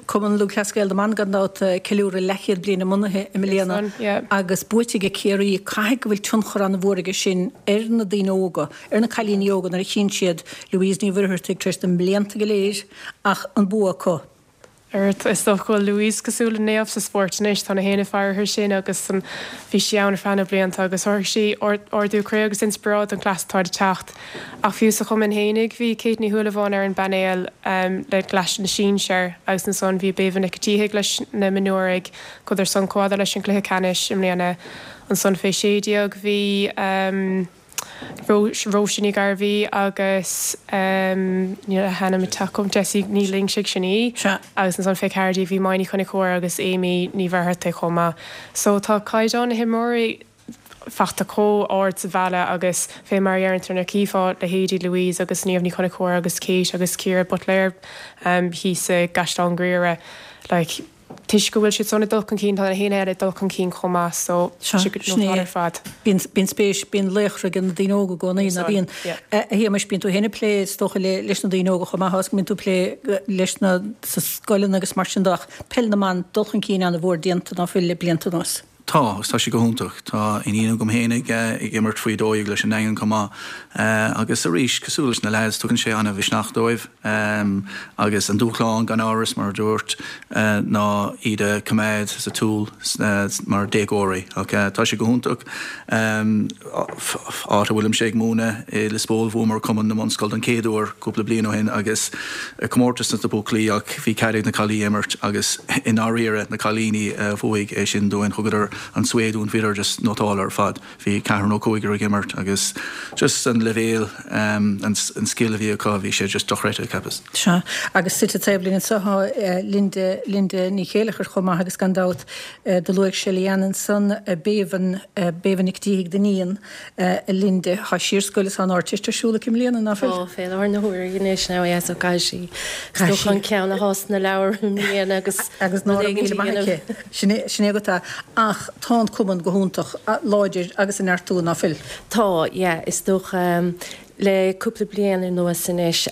S1: Cumann Lúthchleas Gael na mBan gan dabht ag ceiliúradh leathchéad bliain a mbunaithe i mbliana agus buaite ag Ciarraí caithfidh go bhfuil tionchar an-mhór aige sin ar na daoine óga ar na cailíní óga nuair a chíonn siad Louise Ní Mhuircheartaigh tar éis na mblianta go léir ach an bua acu.
S9: Is dócha go bhfuil Louise cosúil le naomh sa spórt anois, tá na héinne ag faire uirthi sin agus bhí sí ann ar feadh na blianta agus thabharfadh sí ardú croí agus inspioráid don chleas atá ag teacht. Ach fiú sa chumann fhéinig bhí Kate Ní Shúilleabháin ar an bpainéal le leis na sinsir agus ansan bhí Béibhinn Nic an tSíthigh leis na mionúraigh, chuadar san chomh fhada leis an gcluiche ceannais i mbliana. Ansan fé 16 bhí. Róise Ní Ghairbhí agus níl a hainm ag teacht chugam, Jessie Ní Loingsigh, sin í. Agus ansan fé 14 bhí Maigh Ní Chonchúir agus Amy Ní Mhuircheartaigh chomh maith. So tá caighdeán na himreoirí fachta chomh ard sa bhaile agus fé mar a dheireann tú nuair a chífeá leithéidí Louise agus Niamh Ní Chonchúir agus Kate agus Ciara Butler thíos i gCaisleán Ghriaire like toisc go bhfuil siad san ag dul chun cinn tá na héinne eile ag dul chun cinn chomh maith so tá sé go nótáil ar fad.
S1: Bíonn bíonn spéis bíonn laochra ag na daoine óga i gcónaí ná bíonn? A Shéamais bíonn tú féin ag plé is dócha le leis na daoine óga chomh maith agus go mbíonn tú ag plé leis na sa scoileanna agus mar sin de ach peil na mban dul chun cinn an-mhór déanta ná fuil le blianta anuas.
S7: Tá, agus tá sé go hiontach. Tá iníon agam féin ag imirt faoi 12 leis an nDaingean chomh maith. Agus arís, cosúil leis na leaids, tugann sé an-mhisneach dóibh. Agus an dúshlán, gan amhras, mar a dúirt, ná iad a choimeád sa tsiúl mar déagóirí. Ach tá sé go hiontach. Áit a bhfuilimse ag múineadh i Lios Póil, bhuamar Cumann na mBunscol don chéad uair cúpla bliain ó shin agus comórtas dos na buachaillí ach bhí cead ag na cailíní imirt agus i ndáiríre na cailíní a bhuaigh é sin dúinn. Thugadar an sway dúinn, bhíodar just nótálta ar fad. Bhí ceathrar nó cúigear ag imirt agus just an leibhéal, an scil a bhí acu, bhí sé just dochreidte, cheapas.
S1: Sea, agus suite taobh linn anseo tá Linda, Linda Ní Chéileachair chomh maith agus gan dabht Do luaigh Shelly-Ann ansan Béibhinn, Béibhinn Nic Díthigh, d'iníon, a Linda. Tá sí ar scoil is tá an Ardteist ar siúl aici i mbliana, ná fuil?
S10: Tá, fé láthair na huaire anois now yeah so caithfidh sí is dócha an ceann atá sna leabhair i mbliana agus
S1: Agus ná raibh míle maith aici. Sin é, sin é agat é. Ach tá an cumann go hiontach láidir agus ag neartú, ná fuil?
S10: Tá, yeah, is dócha. Le cúpla bliain anuas anois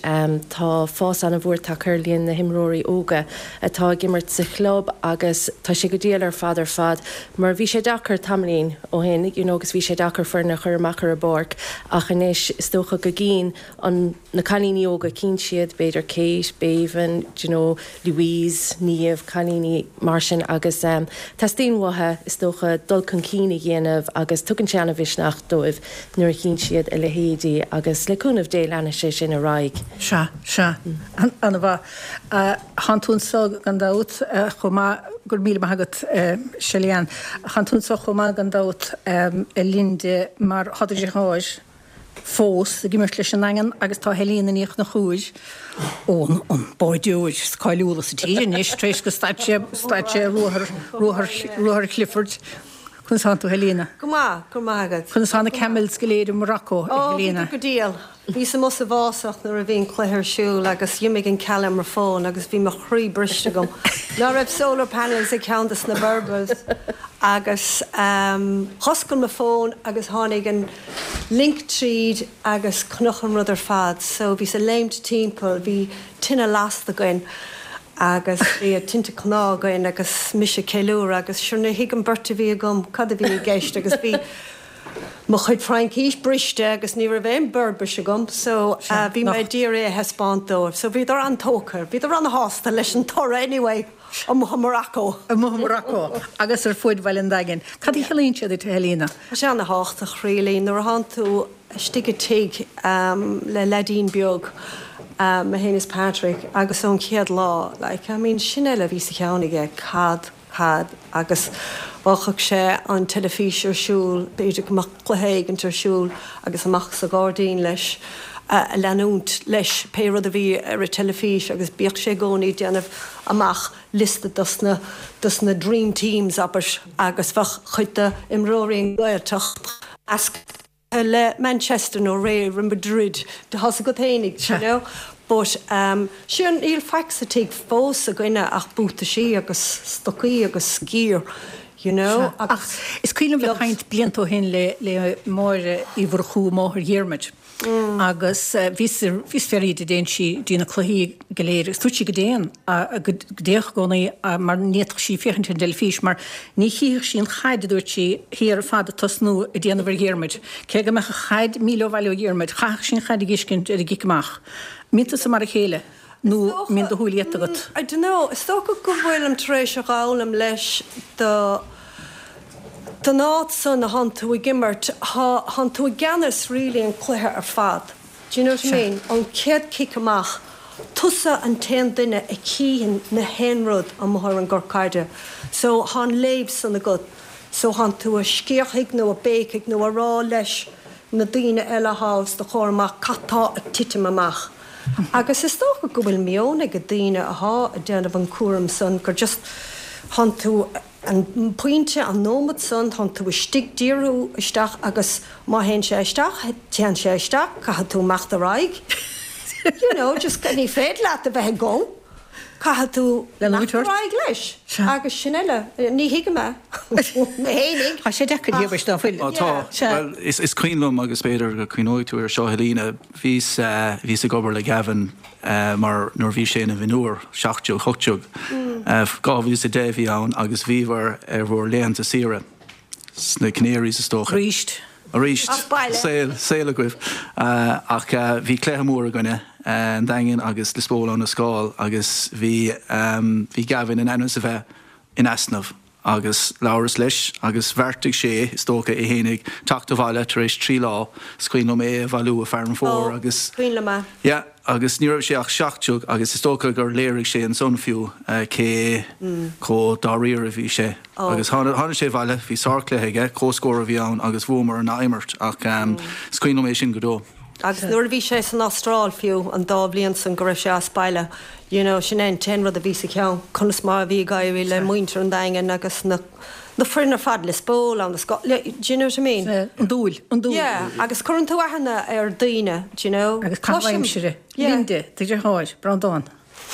S10: tá fás an-mhór tagtha ar líon na himreoirí óga atá ag imirt sa chlub agus tá sé go diail ar fad ar fad mar bhí sé deacair tamaillín ó shin you know agus bhí sé deacair foireann a chur amach ar an bpáirc ach anois is dócha go gcíonn an na cailíní óga cíonn siad b'fhéidir Kate, Béibhinn, do you know Louise, Niamh, cailíní mar sin agus teastaíonn uathu is dócha dul chun cinn a dhéanamh agus tugann sé an-mhisneach dóibh nuair a chíonn siad a leithéidí agus le cúnamh Dé leanfaidh sé sin ar aghaidh.
S1: Sea, sea. An-mhaith. Thánn tú anso gan dabht chomh maith, go raibh míle maith agat Shelly-Ann. Thánn tú anso chomh maith gan dabht a Linda mar thá do dheartháir fós ag imirt leis an nDaingean agus tá Helena Ní Chonchúir ón an báideoir is cáiliúla sa tír anois tar éis go stad sé stad sé ruathar ruathar ruathar Clifford. Conas tánn tú Helena?
S11: Go maith, go raibh maith agat.
S1: Conas tá na camels go léir i Morocco, a
S11: Ó,
S1: Helena?
S11: bhíodar go diail. Bhíos amuigh sa bhfásach nuair a bhí an cluiche ar siúl agus d'imigh an ceall ar mo fón agus bhí mo chroí briste agam. Ná raibh solar panels ag ceann de na Berbers agus dh'oscail mo fón agus tháinig an link tríd agus chonac an rud ar fad so bhíos ag léimt timpeall, bhí tine lasta againn agus bhí tinte cnámh againn agus mise ag ceiliúradh agus sure níor thuig an bheirt a bhí agam cad a bhí i gceist agus bhí mo chuid Fraincís briste agus ní raibh aon Beirbis agam so bhí mé ag iarraidh é a thaispeáint dóibh so bhíodar an-tógtha, bhíodar an-shásta leis an toradh anyway amuigh i Morocco.
S1: Amuigh i Morocco agus ar fuaid Bhaile an Daingin. Cad a chiallaíonn sé duit a Helena?
S11: Tá sé ana-thábhachtach really nuair a thánn tú istigh i dtigh le leaidín beag, mé féin is Patrick, agus ón chéad lá, like, I mean, sin eile a bhí sa cheann aige, cad, cad, agus bheadh sé an teilifís ar siúl, b'fhéidir go mbeadh cluiche éigint ar siúl agus amach sa ghairdín leis, a leanúint leis pé rud a bhí ar an teilifís agus bíodh sé i gcónaí ag déanamh amach liosta dos na, dos na dream teams, abair, agus bheadh cuid d'imreoirí an Ghaeltacht measctha le Manchester nó Real Madrid, tá's agat fhéinig, you know. But sure níl faic sa tigh fós againne ach buataisí agus stocaí agus gear, you know,
S1: agus. Ach is cuimhin liom bheith ag caint blianta ó shin le le Máire Uí Mhurchú, máthair Dhiarmuid. Agus bhíos bhíos ag fiafraí di an dtéann sí dtí na cluichí go léir agus dúirt sí go dtéann, go dtéadh i gcónaí mar ní fhéadfadh sí féachaint ar an dteilifís mar ní chífeadh sí an chaid, a dúirt sí, thiar fada ag tosnú ag déanamh ar Dhiarmuid. Cé go mbeadh an chaid míle ó bhaile ó Dhiarmuid, chaithfeadh sí an chaid a dh'fheiscint ar an gcic amach. Mbíonn tusa mar a chéile nó mbíonn do shúil iata agat?
S11: I don't know. Is dócha go bhfuilim tar éis a dh'fhoghlaim leis do don áit san a thánn tú ag imirt, thá, thánn tú i gceannas really an cluiche ar fad. Do you know what I mean? Ón chéad cic amach, tusa an t-aon duine a chífeann na haon rud amuigh ar an gcort caide. So thá an léamh san agat. So thánn tú a scréachaigh nó a béicigh nó a rá leis. na daoine eile athá os do chomhair amach cad tá ag titim amach. Agus is dócha go bhfuil meon ag daoine athá ag déanamh an cúram san gur just thánn tú an pointe, an nóimeat san, tánn tú istigh díriú isteach agus má théann sé isteach, téann sé isteach, caithfidh tú imeacht ar aghaidh. You know, just ní féidir leat a bheith ag gol, caithfidh tú imeacht ar aghaidh leis. Agus sin eile, ní thuigim é mé fhéinig.
S1: Tá sé deacair, Shéamais, ná fuil?
S7: Tá, bhuel, is cuimhin liom agus b'fhéidir go cuimhneoidh tú air seo, Helena, Bhíos, bhíos ag obair le Gavin mar nuair bhí sé ina mhionúr, 17, 18, 2010 a bhí ann agus bhíobhair ar bhur laethanta saoire sna Canaries is dócha.
S1: Arís.
S7: Arís.
S11: As baile.
S7: Saol, saol agaibh. Ach bhí cluiche mór againne, an Daingean agus Lios Póil Abhainn an Scáil agus bhí, bhí Gavin in ainm is a bheith in easnamh. Agus labhras leis agus bheartaigh sé, is dócha, é fhéinig teacht abhaile tar éis 3 lá. Is cuimhin liom é a bhailiú i Fearann Fómhair agus.
S11: Cuimhin liom é.
S7: Yeah, agus ní raibh sé ach 17 agus is dócha gur léirigh sé ansan fiú cé chomh dáiríre a bhí sé. Agus tháinig sé abhaile, bhí sárchluiche aige, comhscór a bhí ann agus bhuamar an ath-imirt ach is cuimhin liom é sin go deo.
S11: Agus nuair a bhí sé san Astráil fiú, an dá bhliain san go raibh sé as baile, you know, sin é an t-aon rud a bhí sa cheann, conas mar a bhí ag éirí le muintir an Daingin agus na, na foireann ar fad, Lios Póil, Abhainn an Scáil, do you know what I mean?
S1: Sea, an dúil, an dúil.
S11: Yeah, agus cuireann tú aithne ar daoine, do you know.
S1: Agus caitheamh aimsire.
S11: Yeah.
S1: Linda, do dheartháir, Breandán.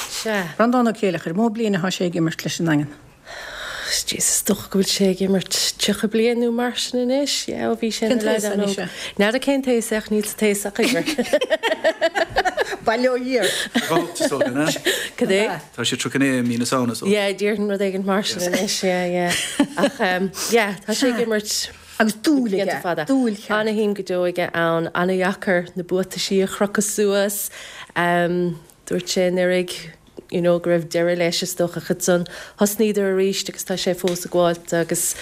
S10: Sea.
S1: Breandán Ó Céileachair, mó bliain atá sé ag imirt leis an nDaingean?
S10: Jesus, is dócha go bhfuil sé ag imirt 30 bliain nó mar sin anois. Yeah, ó bhí sé ina leaid an-óg. N'fheadar cén taos é ach níl sa taos ach uimhir.
S1: Bail ó Dhia air.
S10: Cad é?
S7: Tá sé 31 i mí na Samhna so.
S10: Yeah, déarfainn rud éigin mar sin anois, yeah, yeah. Ach yeah, tá sé ag imirt
S1: Agus dúil aige, dúil cheart.
S10: Ana-shuim go deo aige ann, ana-dheacair na buataisí a chrochadh suas. Dúirt sé anuraidh you know go raibh deireadh leis is dócha ach ansan thosnaíodar arís agus tá sé fós ag gabháilt agus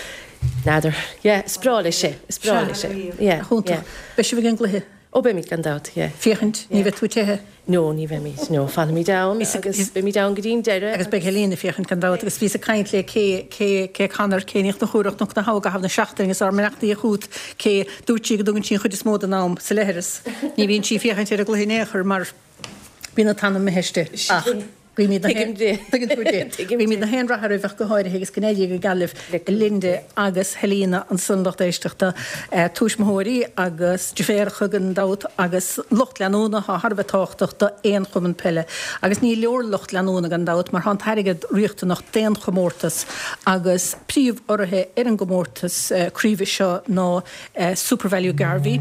S10: n'fheadar yeah is breá leis é, is breá leis é yeah
S1: yeah. Beidh sibh ag an gcluiche?
S10: Ó beimid gan dabht yeah.
S1: Féachaint, ní bheidh tú ag teitheadh?
S10: No ní bheimid, no fanfaimid ann agus beimid ann go dtí an deireadh.
S1: Agus beidh Helena ag féachaint gan dabht agus bhíos ag caint le Kay, Kay, Kay Connor, Kay Ní Chonchúir ó Chnoc na hAbha i gcaitheamh na seachtaine agus ár mbeannachtaí chugat Kay, dúirt sí go dtugann sí an chuid is mó den am sa leithreas. Ní bhíonn sí ag féachaint ar an gcluiche in aon chor mar Bíonn an t-anam imithe aisti. Ach guímid na
S10: Tuigim di.
S1: Tuigeann tú di.
S10: Tuigim
S1: Guímid
S10: di.
S1: na haon rath oraibh ach go háirithe agus go n-éirí go geal libh Linda agus Helena ansan lucht éisteachta, tuismitheoirí agus deirféaracha gan dabht agus lucht leanúna atá thar a bheith tábhachtach d'aon chumann peile. Agus ní leor lucht leanúna gan dabht mar tá an t-airgead riachtanach d'aon chomórtas agus príomh-urraithe ar an gcomórtas craoibhe seo ná Supervalu Garvey,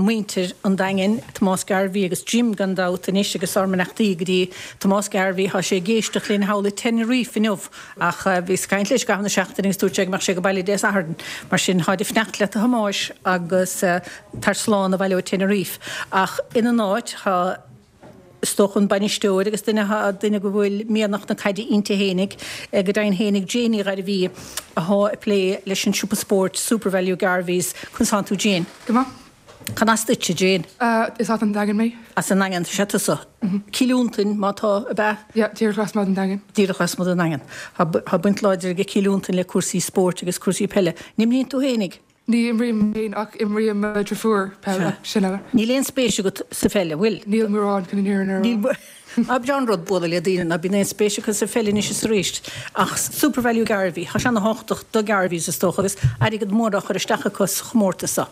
S1: muintir an Daingin, Tomás Garvey agus Jim gan dabht anois agus ár mbeannachtaí go dtí Tomás Garvey, tá sé ag éisteacht linn thall i Tenerife inniu ach bhíos ag caint leis i gcaitheamh na seachtaine agus dúirt sé go mbeadh sé ag baile Dé Sathairn mar sin táid ag fanacht leat a Thomáis agus tar slán abhaile ó Tenerife ach ina n-áit tá Is dócha an bainisteoir agus duine duine go bhfuil mianach na caide inti fhéinig, go deimhin fhéinig, Jane Ní Ghairbhí, athá ag plé leis an siopa spóirt Supervalu Garveys. Conas tánn tú Jane?
S9: Go maith.
S1: Can as duitse, Jane?
S9: Is as an Daingean mé.
S1: As an nDaingean, sea tusa. Cill Fhionntain, má tá, ab ea?
S9: Yeah, díreach lasmuigh den Daingean.
S1: Díreach lasmuigh den Daingean. Tá baint láidir ag Cill Fhionntain le cúrsaí spóirt agus cúrsaí peile. An imríonn tú fhéinig?
S9: Ní imrím féin ach imríonn mo dhriofúr peil ach sin uile.
S1: Níl aon spéis agat sa pheil, an bhfuil?
S9: Níl mórán chun an fhírinne a rá.
S1: Ná breá an rud bualadh le daoine ná bíonn aon spéis acu sa pheil anois is arís. Ach Supervalu Garvey, tá sé ana-thábhachtach do Garveys is dócha agus airgead mór á chur isteach acu sa chomórtas seo.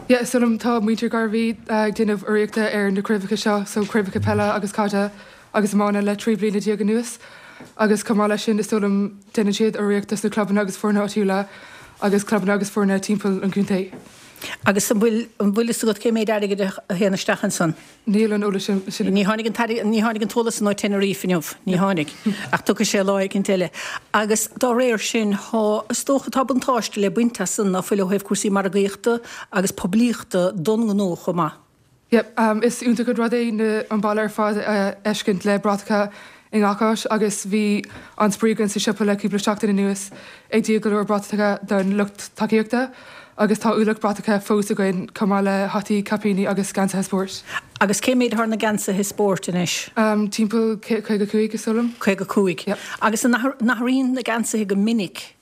S9: Yeah, is dóigh liom tá muintir Garvey ag déanamh urraíochta ar na craobhacha seo, so craobhacha peile agus caide agus iomána le 13 bliana anuas agus chomh maith leis sin is dóigh liom déanann siad urraíocht dos na clubanna agus foirne áitiúla agus clubanna agus foirne timpeall an chontae.
S1: Agus an bhfuil an bhfuil fhios agat cé méid airgid a théann isteach ansan?
S9: Níl an eolas sin.
S1: Ní tháinig an t-airgead, ní tháinig an t-eolas san ó Tenerife inniu, ní tháinig. Ach tiocfaidh sé lá éicint eile. Agus dá réir sin, thá, is dócha, tá buntáiste le baint as san ná fuil ó thaobh cúrsaí margaíochta agus poiblíochta don ngnó chomh maith.
S9: Yep, is iontach an rud é na an baile ar fad a fheiscint le bratacha i ngach áit agus bhí an-spraoi againn sa siopa le cúpla seachtain anuas ag díol go leor bratacha don lucht tacaíochta agus tá ualach bratacha fós againn chomh maith le hataí, caipíní agus geansaithe spóirt.
S1: Agus cé méid atá ar na geansaithe spóirt anois?
S9: Timpeall 55 is dóigh liom.
S1: 55.
S9: Yep.
S1: Agus an athraíonn na geansaithe go minic?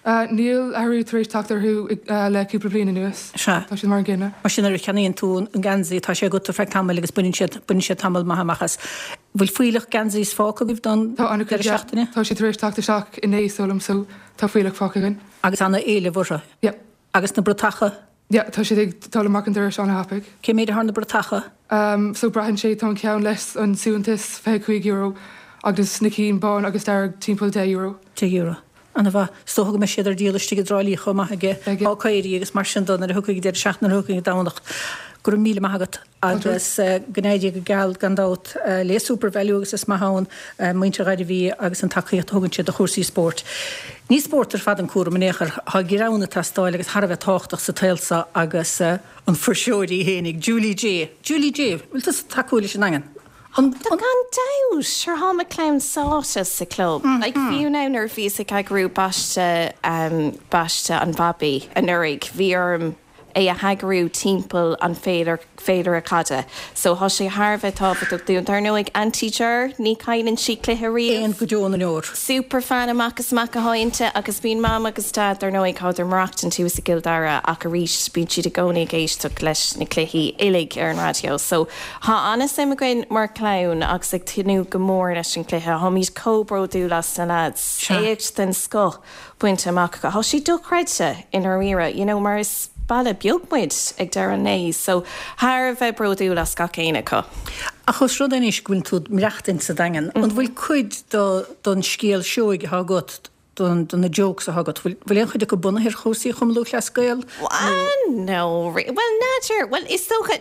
S9: Níl athrú tar éis teacht orthu le cúpla bliain anuas.
S1: Sea.
S9: Tá siad mar an gcéanna.
S1: Mar sin nuair a cheannaíonn tú an geansaí, tá sé agat ar feadh tamaill agus baineann siad, baineann siad tamall maith amach as. Bhfuil fuílleach geansaí fágtha agaibh don
S9: Tá an-chuid,
S1: deireadh
S9: yeah.
S1: seachtaine?
S9: Tá siad tar éis teacht isteach inné, is dóigh liom, so tá fuílleach fágtha againn.
S1: Agus ana-éileamh orthu?
S9: Yeah.
S1: Agus na bratacha?
S9: Yeah, tá siad ag dul amach an doras an-thapaidh.
S1: Cé méid atá na bratacha?
S9: So braitheann sé, tá an ceann leis an suaitheantas €25 agus na cinn bán agus dearg timpeall €10.
S1: €10. Ana-mhaith. Is dócha go mbeidh siad ar díol istigh i dTrá Lí chomh maith ag Hawk-Éirí agus mar sin de nuair a thiocfaidh an deireadh seachtaine, nuair a thiocfaidh an Domhnach. Go raibh míle maith agat agus go n-éirí go geal gan dabht le Supervalu agus is maith ann muintir Ghairbhí agus an tacaíocht a thugann siad do chúrsaí spóirt. Ní spórt ar fad an cúram in aon chor. Tá greann ag teastáil agus thar a bheith tábhachtach sa tsaol seo agus an fuirseoir í fhéinig, Julie J. Julie J. Bhfuil tusa tacúil leis an nDaingean?
S10: An. Tá gan dabht! Sure thá mo chlann sáite sa club. Like fiú now nuair a bhíos ag eagrú baiste baiste an bhabaí anuraidh bhí orm é a heagrú timpeall an féilire féilire caide. So thá sé thar a bheith tábhachtach dúinn. Dar ndóigh Auntie Ger, ní chailleann sí cluiche riamh.
S1: Éan go deo na ndeor.
S10: Super fan amach is amach athá inti agus bíonn Mam agus Dad dar ndóigh thádar maireachtaint thuas i gCill Dara ach arís bíonn siad i gcónaí ag éisteacht leis na cluichí uilig ar an raidió. So Thá an-suim againn mar chlann agus ag tnúth go mór leis an gcluiche. Tháimid chomh bródúil as na lads. Éacht den scoth bainte amach acu. Thá sé dochreidte i ndáiríre, you know, mar is baile beag muid ag deireadh an lae. So, thar a bheith bródúil as gach éinne acu.
S1: Ach os rud é anois go bhfuil tú ag maireachtaint sa Daingean, an bhfuil cuid don scéal seoigh atá agat do na jokes atá agat, bhfuil aon chuid acu bunaithe ar chúrsaí Chumann Lúthchleas Gael
S10: nó? No, bhuel n'fheadar, bhuel is dócha,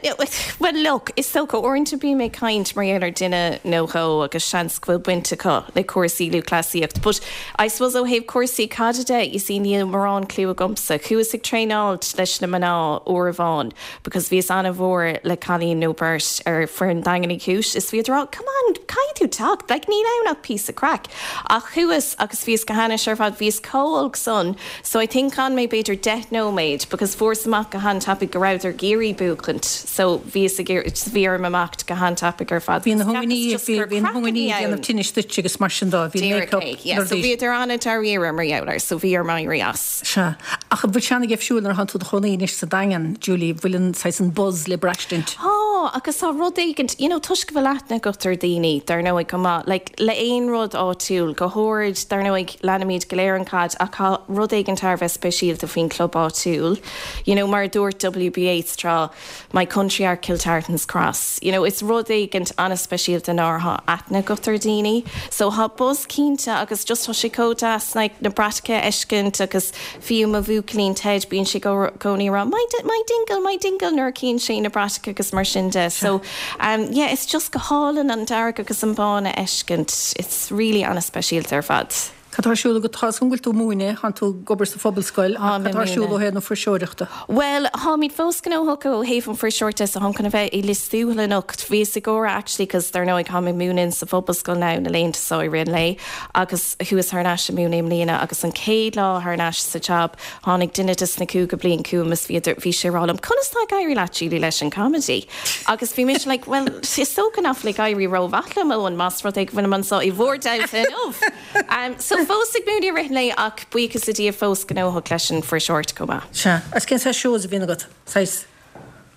S10: bhuel look, is dócha uaireanta bím ag caint mar gheall ar duine nó dhó agus seans go bhfuil baint acu le cúrsaí lúthchleasaíocht but I suppose ó thaobh cúrsaí caide de, you see níl mórán clue agamsa. Chuas ag traenáilt leis na mná uair amháin because bhíos ana-mhór le cailín nó beirt ar foireann Daingean Uí Chúis is bhíodar á come on caithfidh tú teacht like níl ann ach píosa craic. Ach chuas agus bhíos go hainnis ar fad, bhíos chomh olc san, so I think d'fhan mé b'fhéidir 10 nóiméad because fuaireas amach go han-tapaidh go rabhadar ag iarraidh buachaint so bhíos ag iarraidh, bhí orm imeacht go han-tapaidh ar fad
S1: Bhí na because cheapas just gur bhí na craic a bhí ag déanamh ann. tinnis duit agus mar sin de, bhí
S10: Díreach make-up é, yeah, so bhíodar an-dáiríre mar gheall air so bhí orm éirí as.
S1: Sea. Ach an bhfuil sé an-gheimhsiúil nuair atánn tú i do chónaí anois sa Daingean, Julie, bhfuil an saghas an buzz le braistint?
S10: Tá, agus tá rud éigint, you know, toisc go bhfuil aithne agat ar dhaoine, dar ndóigh, chomh maith, like, le aon rud áitiúil, go háirid, dar ndóigh, leanaimid go léir an chaid ach tá rud éigin thar a bheith speisialta faoin club áitiúil, you know, mar a dúirt W.B. Yeats tráth, My country art Kiltartan's cross. You know, is rud éigint an-speisialta nuair atá aithne agat ar daoine. So tá buzz cinnte agus just tá sé chomh deas like na bratacha a fheiscint agus fiú mo bhuachaillín Ted bíonn sé i gcónaí ag rá my my dingle, my dingle nuair a chíonn sé na bratacha agus mar sin de. So um yeah, it's just go hálainn an dearg agus an bán a fheiscint. It's really an-speisialta ar fad.
S1: Cad tá ar siúl agat? Tá 'fhios agam go bhfuil tú ag múineadh, tánn tú ag obair sa phobalscoil, ach
S10: Táim
S1: cad
S10: ag
S1: tá ar siúl ó
S10: múineadh.
S1: thaobh na fuirseoireachta?
S10: Bhuel, táimid fós gnóthach ó thaobh an fuirseoireachta de so táim chun a bheith i Lios Tuathail anocht. Bhíos ag gáire actually cos dar ndóigh táim ag múineadh sa phobalscoil now na laethanta so i rith an lae agus chuas thar n-ais ag múineadh i mbliana agus an chéad lá thar n-ais sa jab tháinig duine des na cúigiú bliain chugam is bhíodar, bhí sé ag rá liom conas tá ag éirí leat Julie leis an comedy? Agus bhí mise like bhuel is dócha nach bhfuil ag éirí rómhaith liom Eoin más rud é go bhfuilim anseo i bhur dteannta inniu. So fós ag múineadh i rith an lae ach buíochas le Dia fós gnóthach leis an fuirseoireacht chomh maith.
S1: Sea. Agus cén saghas shows a bhíonn agat? Saghas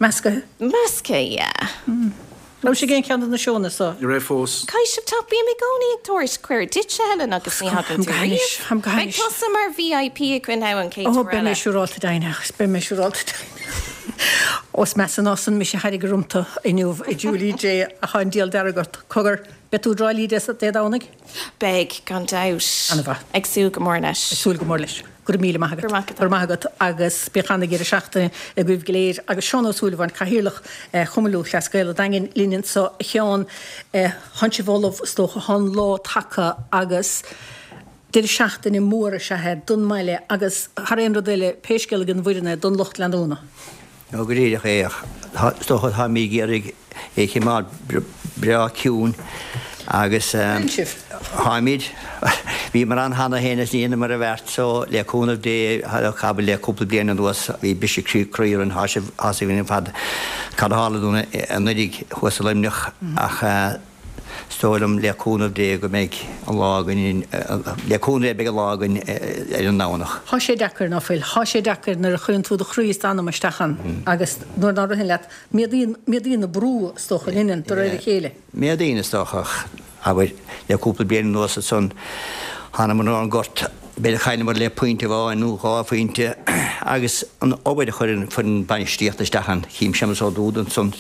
S1: measctha?
S10: Measctha, yeah.
S1: Raibh sibh ag aon cheann de na seónna so?
S7: Ní raibh fós.
S10: Caithfidh sibh teacht, bím i gcónaí ag tabhairt cuireadh duitse, Helen, agus ní thagann tú riamh.
S1: Táim go
S10: Beidh
S1: hainnis.
S10: tusa mar VIP againn now an chéad
S1: Ó,
S10: uair
S1: beidh mé
S10: eile.
S1: siúrálta deimhneach, beidh mé siúrálta deimhneach. Ó, is measa ná san mise a thairg rompu inniu, a Julie J, ach tá an diabhal dearg ort. Cogar, beidh tú i dTrá Lí Dé Domhnaigh?
S10: Beidh, gan dabht.
S1: An-mhaith.
S10: Ag súil go mór leis.
S1: Ag súil go mór leis. Go raibh míle maith agat.
S10: Go raibh maith agat.
S1: Go raibh maith agat agus bíodh ana-dheireadh seachtaine agaibh go léir. Agus Seán Ó Súilleabháin, Cathaoirleach Chumann Lúthchleas Gael an Daingin linn anseo. A Sheáin, tánn sibh ullamh is dócha, tá an lá tagtha agus deireadh seachtaine mór is ea é don mbaile agus thar aon rud eile, pé scéal é don bhfoireann é, don lucht leanúna.
S12: Nó go díreach é, ach is dócha táimid ag iarraidh é a choimeád breá ciúin agus táimid, bhíomar ann cheana féin is ní dheineamar an bheart so le cúnamh Dé abair le cúpla bliain anuas bhí briseadh croí orainn, tá sibh, tá a fhios againn ar fad cad a tharla dúinn anuraidh thuas i Luimneach ach. Is dóigh liom, le cúnamh Dé, go mbeidh an lá againn, le cúnamh Dé beidh an lá againn ar an nDomhnach.
S1: Thá sé deacair, ná fuil? Thá sé deacair nuair a chuireann tú do chroí is d'anam isteach ann agus nuair ná ritheann leat, méadaíonn, méadaíonn an brú, is dócha, an ionann, de réir a chéile.
S12: Méadaíonn, is dócha, ach abair, le cúpla bliain anuas ansan, thánamar ar an ngort, b'fhéidir chailleamar le pointe amháin nó dhá phointe agus an obair a chuireann foireann bainistíochta isteach ann, chím Séamus Ó Dúda ansan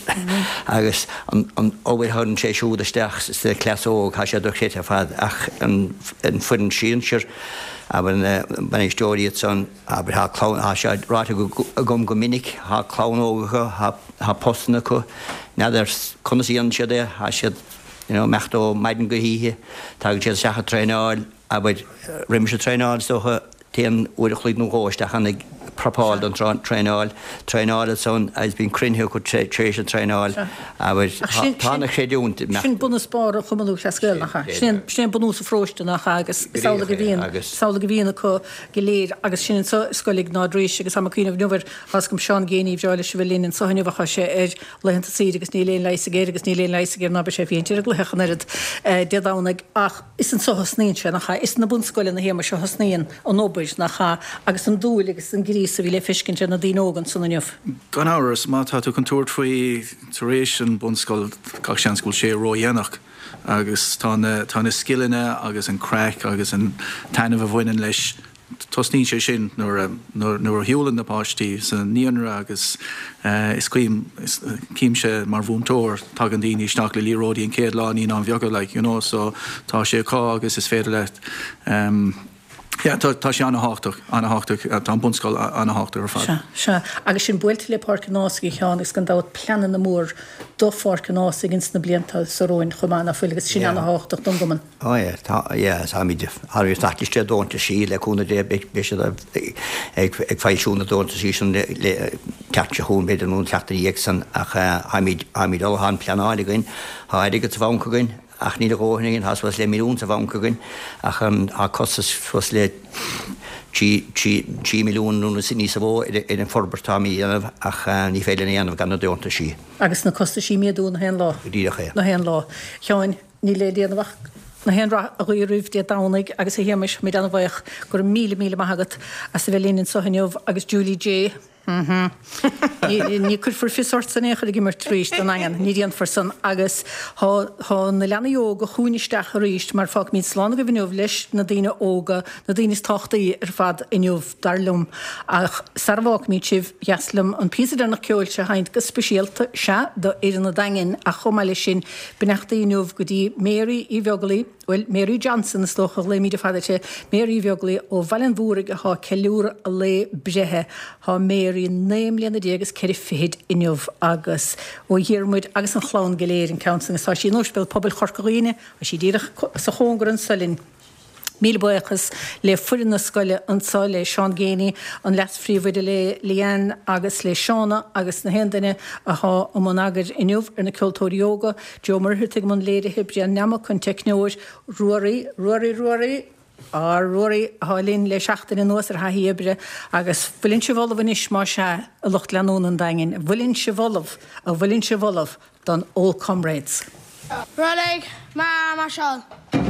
S12: agus an obair a chuireann sé siúd isteach sa chleas óg, tá sé dochreidte ar fad ach an foireann sinsir, abair na bainisteoirí ansan, abair tá clann, tá sé ráite agam go minic, tá clann óg acu, tá postanna acu, n'fheadar conas a dhéanann siad é, tá siad you know ag imeacht ó maidin go hoíche, tagann siad isteach ag traenáil, abair, roimis an traenáil is dócha, téann uair a chloig nó dhó isteach ann ag prepáil don traenáil, traenáil ansan agus bíonn cruinnithe acu tar éis an traenáil, abair, tá ana chreidiúint
S1: ag imeacht. Sin bunús barr Chumann Lúthchleas Gael, nach ea? Sin é bunús an pharóiste, nach ea? Agus is amhlaidh a bhíonn, is amhlaidh a bhíonn acu go léir agus sin anso i Scoil Iognáid Rís agus tá mé ag cuimhneamh inniu air, tá 'fhios agam Seán Geaney, ba bhreá leis a bheith linn anso inniu ach tá sé ar laethanta saoire agus níl aon leigheas aige air agus níl aon leigheas aige air ná beidh sé ag féachaint ar an gcluiche ach an oiread Dé Domhnaigh ach is anso a thosnaíonn sé, nach ea? Is sna bunscoileanna, a Shéamais, a thosnaíonn an obair, nach ea? Agus an dúil agus an gríos a bhí le feiscint ar na daoine óga ansan inniu.
S7: Gan amhras, má tá tú chun tabhairt faoi tar éis an bunscoil, gach seans go bhfuil sé ródhéanach agus tá na, tá na scileanna agus an craic agus an taitneamh a bhaineann leis Tosnaíonn sé sin nuair a nuair a shiúlann na páistí sa naíonra agus is cuimhin, címse mar mhúinteoir, tagann daoine isteach le liathróidí an chéad lá naíonáin bheaga like you know so tá sé acu agus is féidir leat yeah tá tá sé ana-thábhachtach, ana-thábhachtach, tá an bunscoil ana-thábhachtach ar fad.
S1: Sea, sea. Agus sinn buailte le Páirc an Ághasaigh a Sheáin agus gan dabht pleananna mór do Pháirc an Ághasaigh ins na blianta so romhainn chomh maith, ná fuil, agus sin ana-thábhachtach don gcumann.
S12: Ó yeah, tá, yeah, táimid, táimid ag teacht isteach deontaisí le cúnamh Dé, beidh, beidh siad ag, ag foilsiú na deontaisí sin le, le teacht seo chugainn b'fhéidir nó an tseachtain ina dhiaidh san ach táimid, táimid ullamh, tá an pleanáil againn, tá airgead sa bhanc againn ach níl a dhóthain againn, tá suas le milliún sa bhanc againn ach an, tá costas suas le trí, trí, trí milliún nó níos mó ar, ar an forbairt atáimid a dhéanamh ach ní féidir linn a dhéanamh gan na deontaisí.
S1: Agus na costaisí ag méadú na haon lá.
S12: Go díreach é.
S1: Na haon lá. Sheáin. Níl le déanamh ach na haon rath a ghuí oraibh Dé Domhnaigh agus a Shéamais, táimid an-bhuíoch, go raibh míle míle maith agat as a bheith linn anseo inniu agus Julie J. Ní cuirfear fios ortsa in aon chor ag imirt arís don nDaingean, ní déanfar san agus tá tá na leanaí óga chugainn isteach arís mar fágfaimid slán agaibh inniu leis na daoine óga, na daoine is tábhachtaí ar fad inniu dar liom. Ach sara bhfágfaimid sibh, dheas liom an píosa deireanach ceoil seo a sheinnt go speisialta, sea, do fhoireann an Daingin ach chomh maith leis sin, Beannachtaí inniu go dtí Mary Uí Bheaglaoi, bhuel, Mary Johnson is dócha a ghlaoimid ar fad uirthi, Mary Uí Bheaglaoi ó Bhaile an Mhúraigh athá ag ceiliúradh a lae breithe. Thá Mary 19 mbliana is 4 fichid inniu agus ó Dhiarmuid agus an chlann go léir an ceann san agus tá sí in Ospidéal Pobail Chorca Dhuibhne, tá sí díreach sa chóngar anso linn. Míle buíochas le foireann na scoile anso, le Seán Geaney, an leas-phríomhoide, le Leanne agus le Shauna agus na haon duine athá i mbun eagair inniu ar na ceoltóirí óga, Joe Muircheartaigh i mbun léirithe, Brian Nammock an teicneoir, Ruairí, Ruairí, Ruairí, ár Ruairí athá linn le seachtain anuas ar thaithí oibre agus bhfuileann sibh ullamh anois más ea, a lucht leanúna an Daingin, an bhfuileann sibh ullamh, an bhfuileann sibh ullamh don Old Comrades?
S3: Reilig, Mar, Marshall.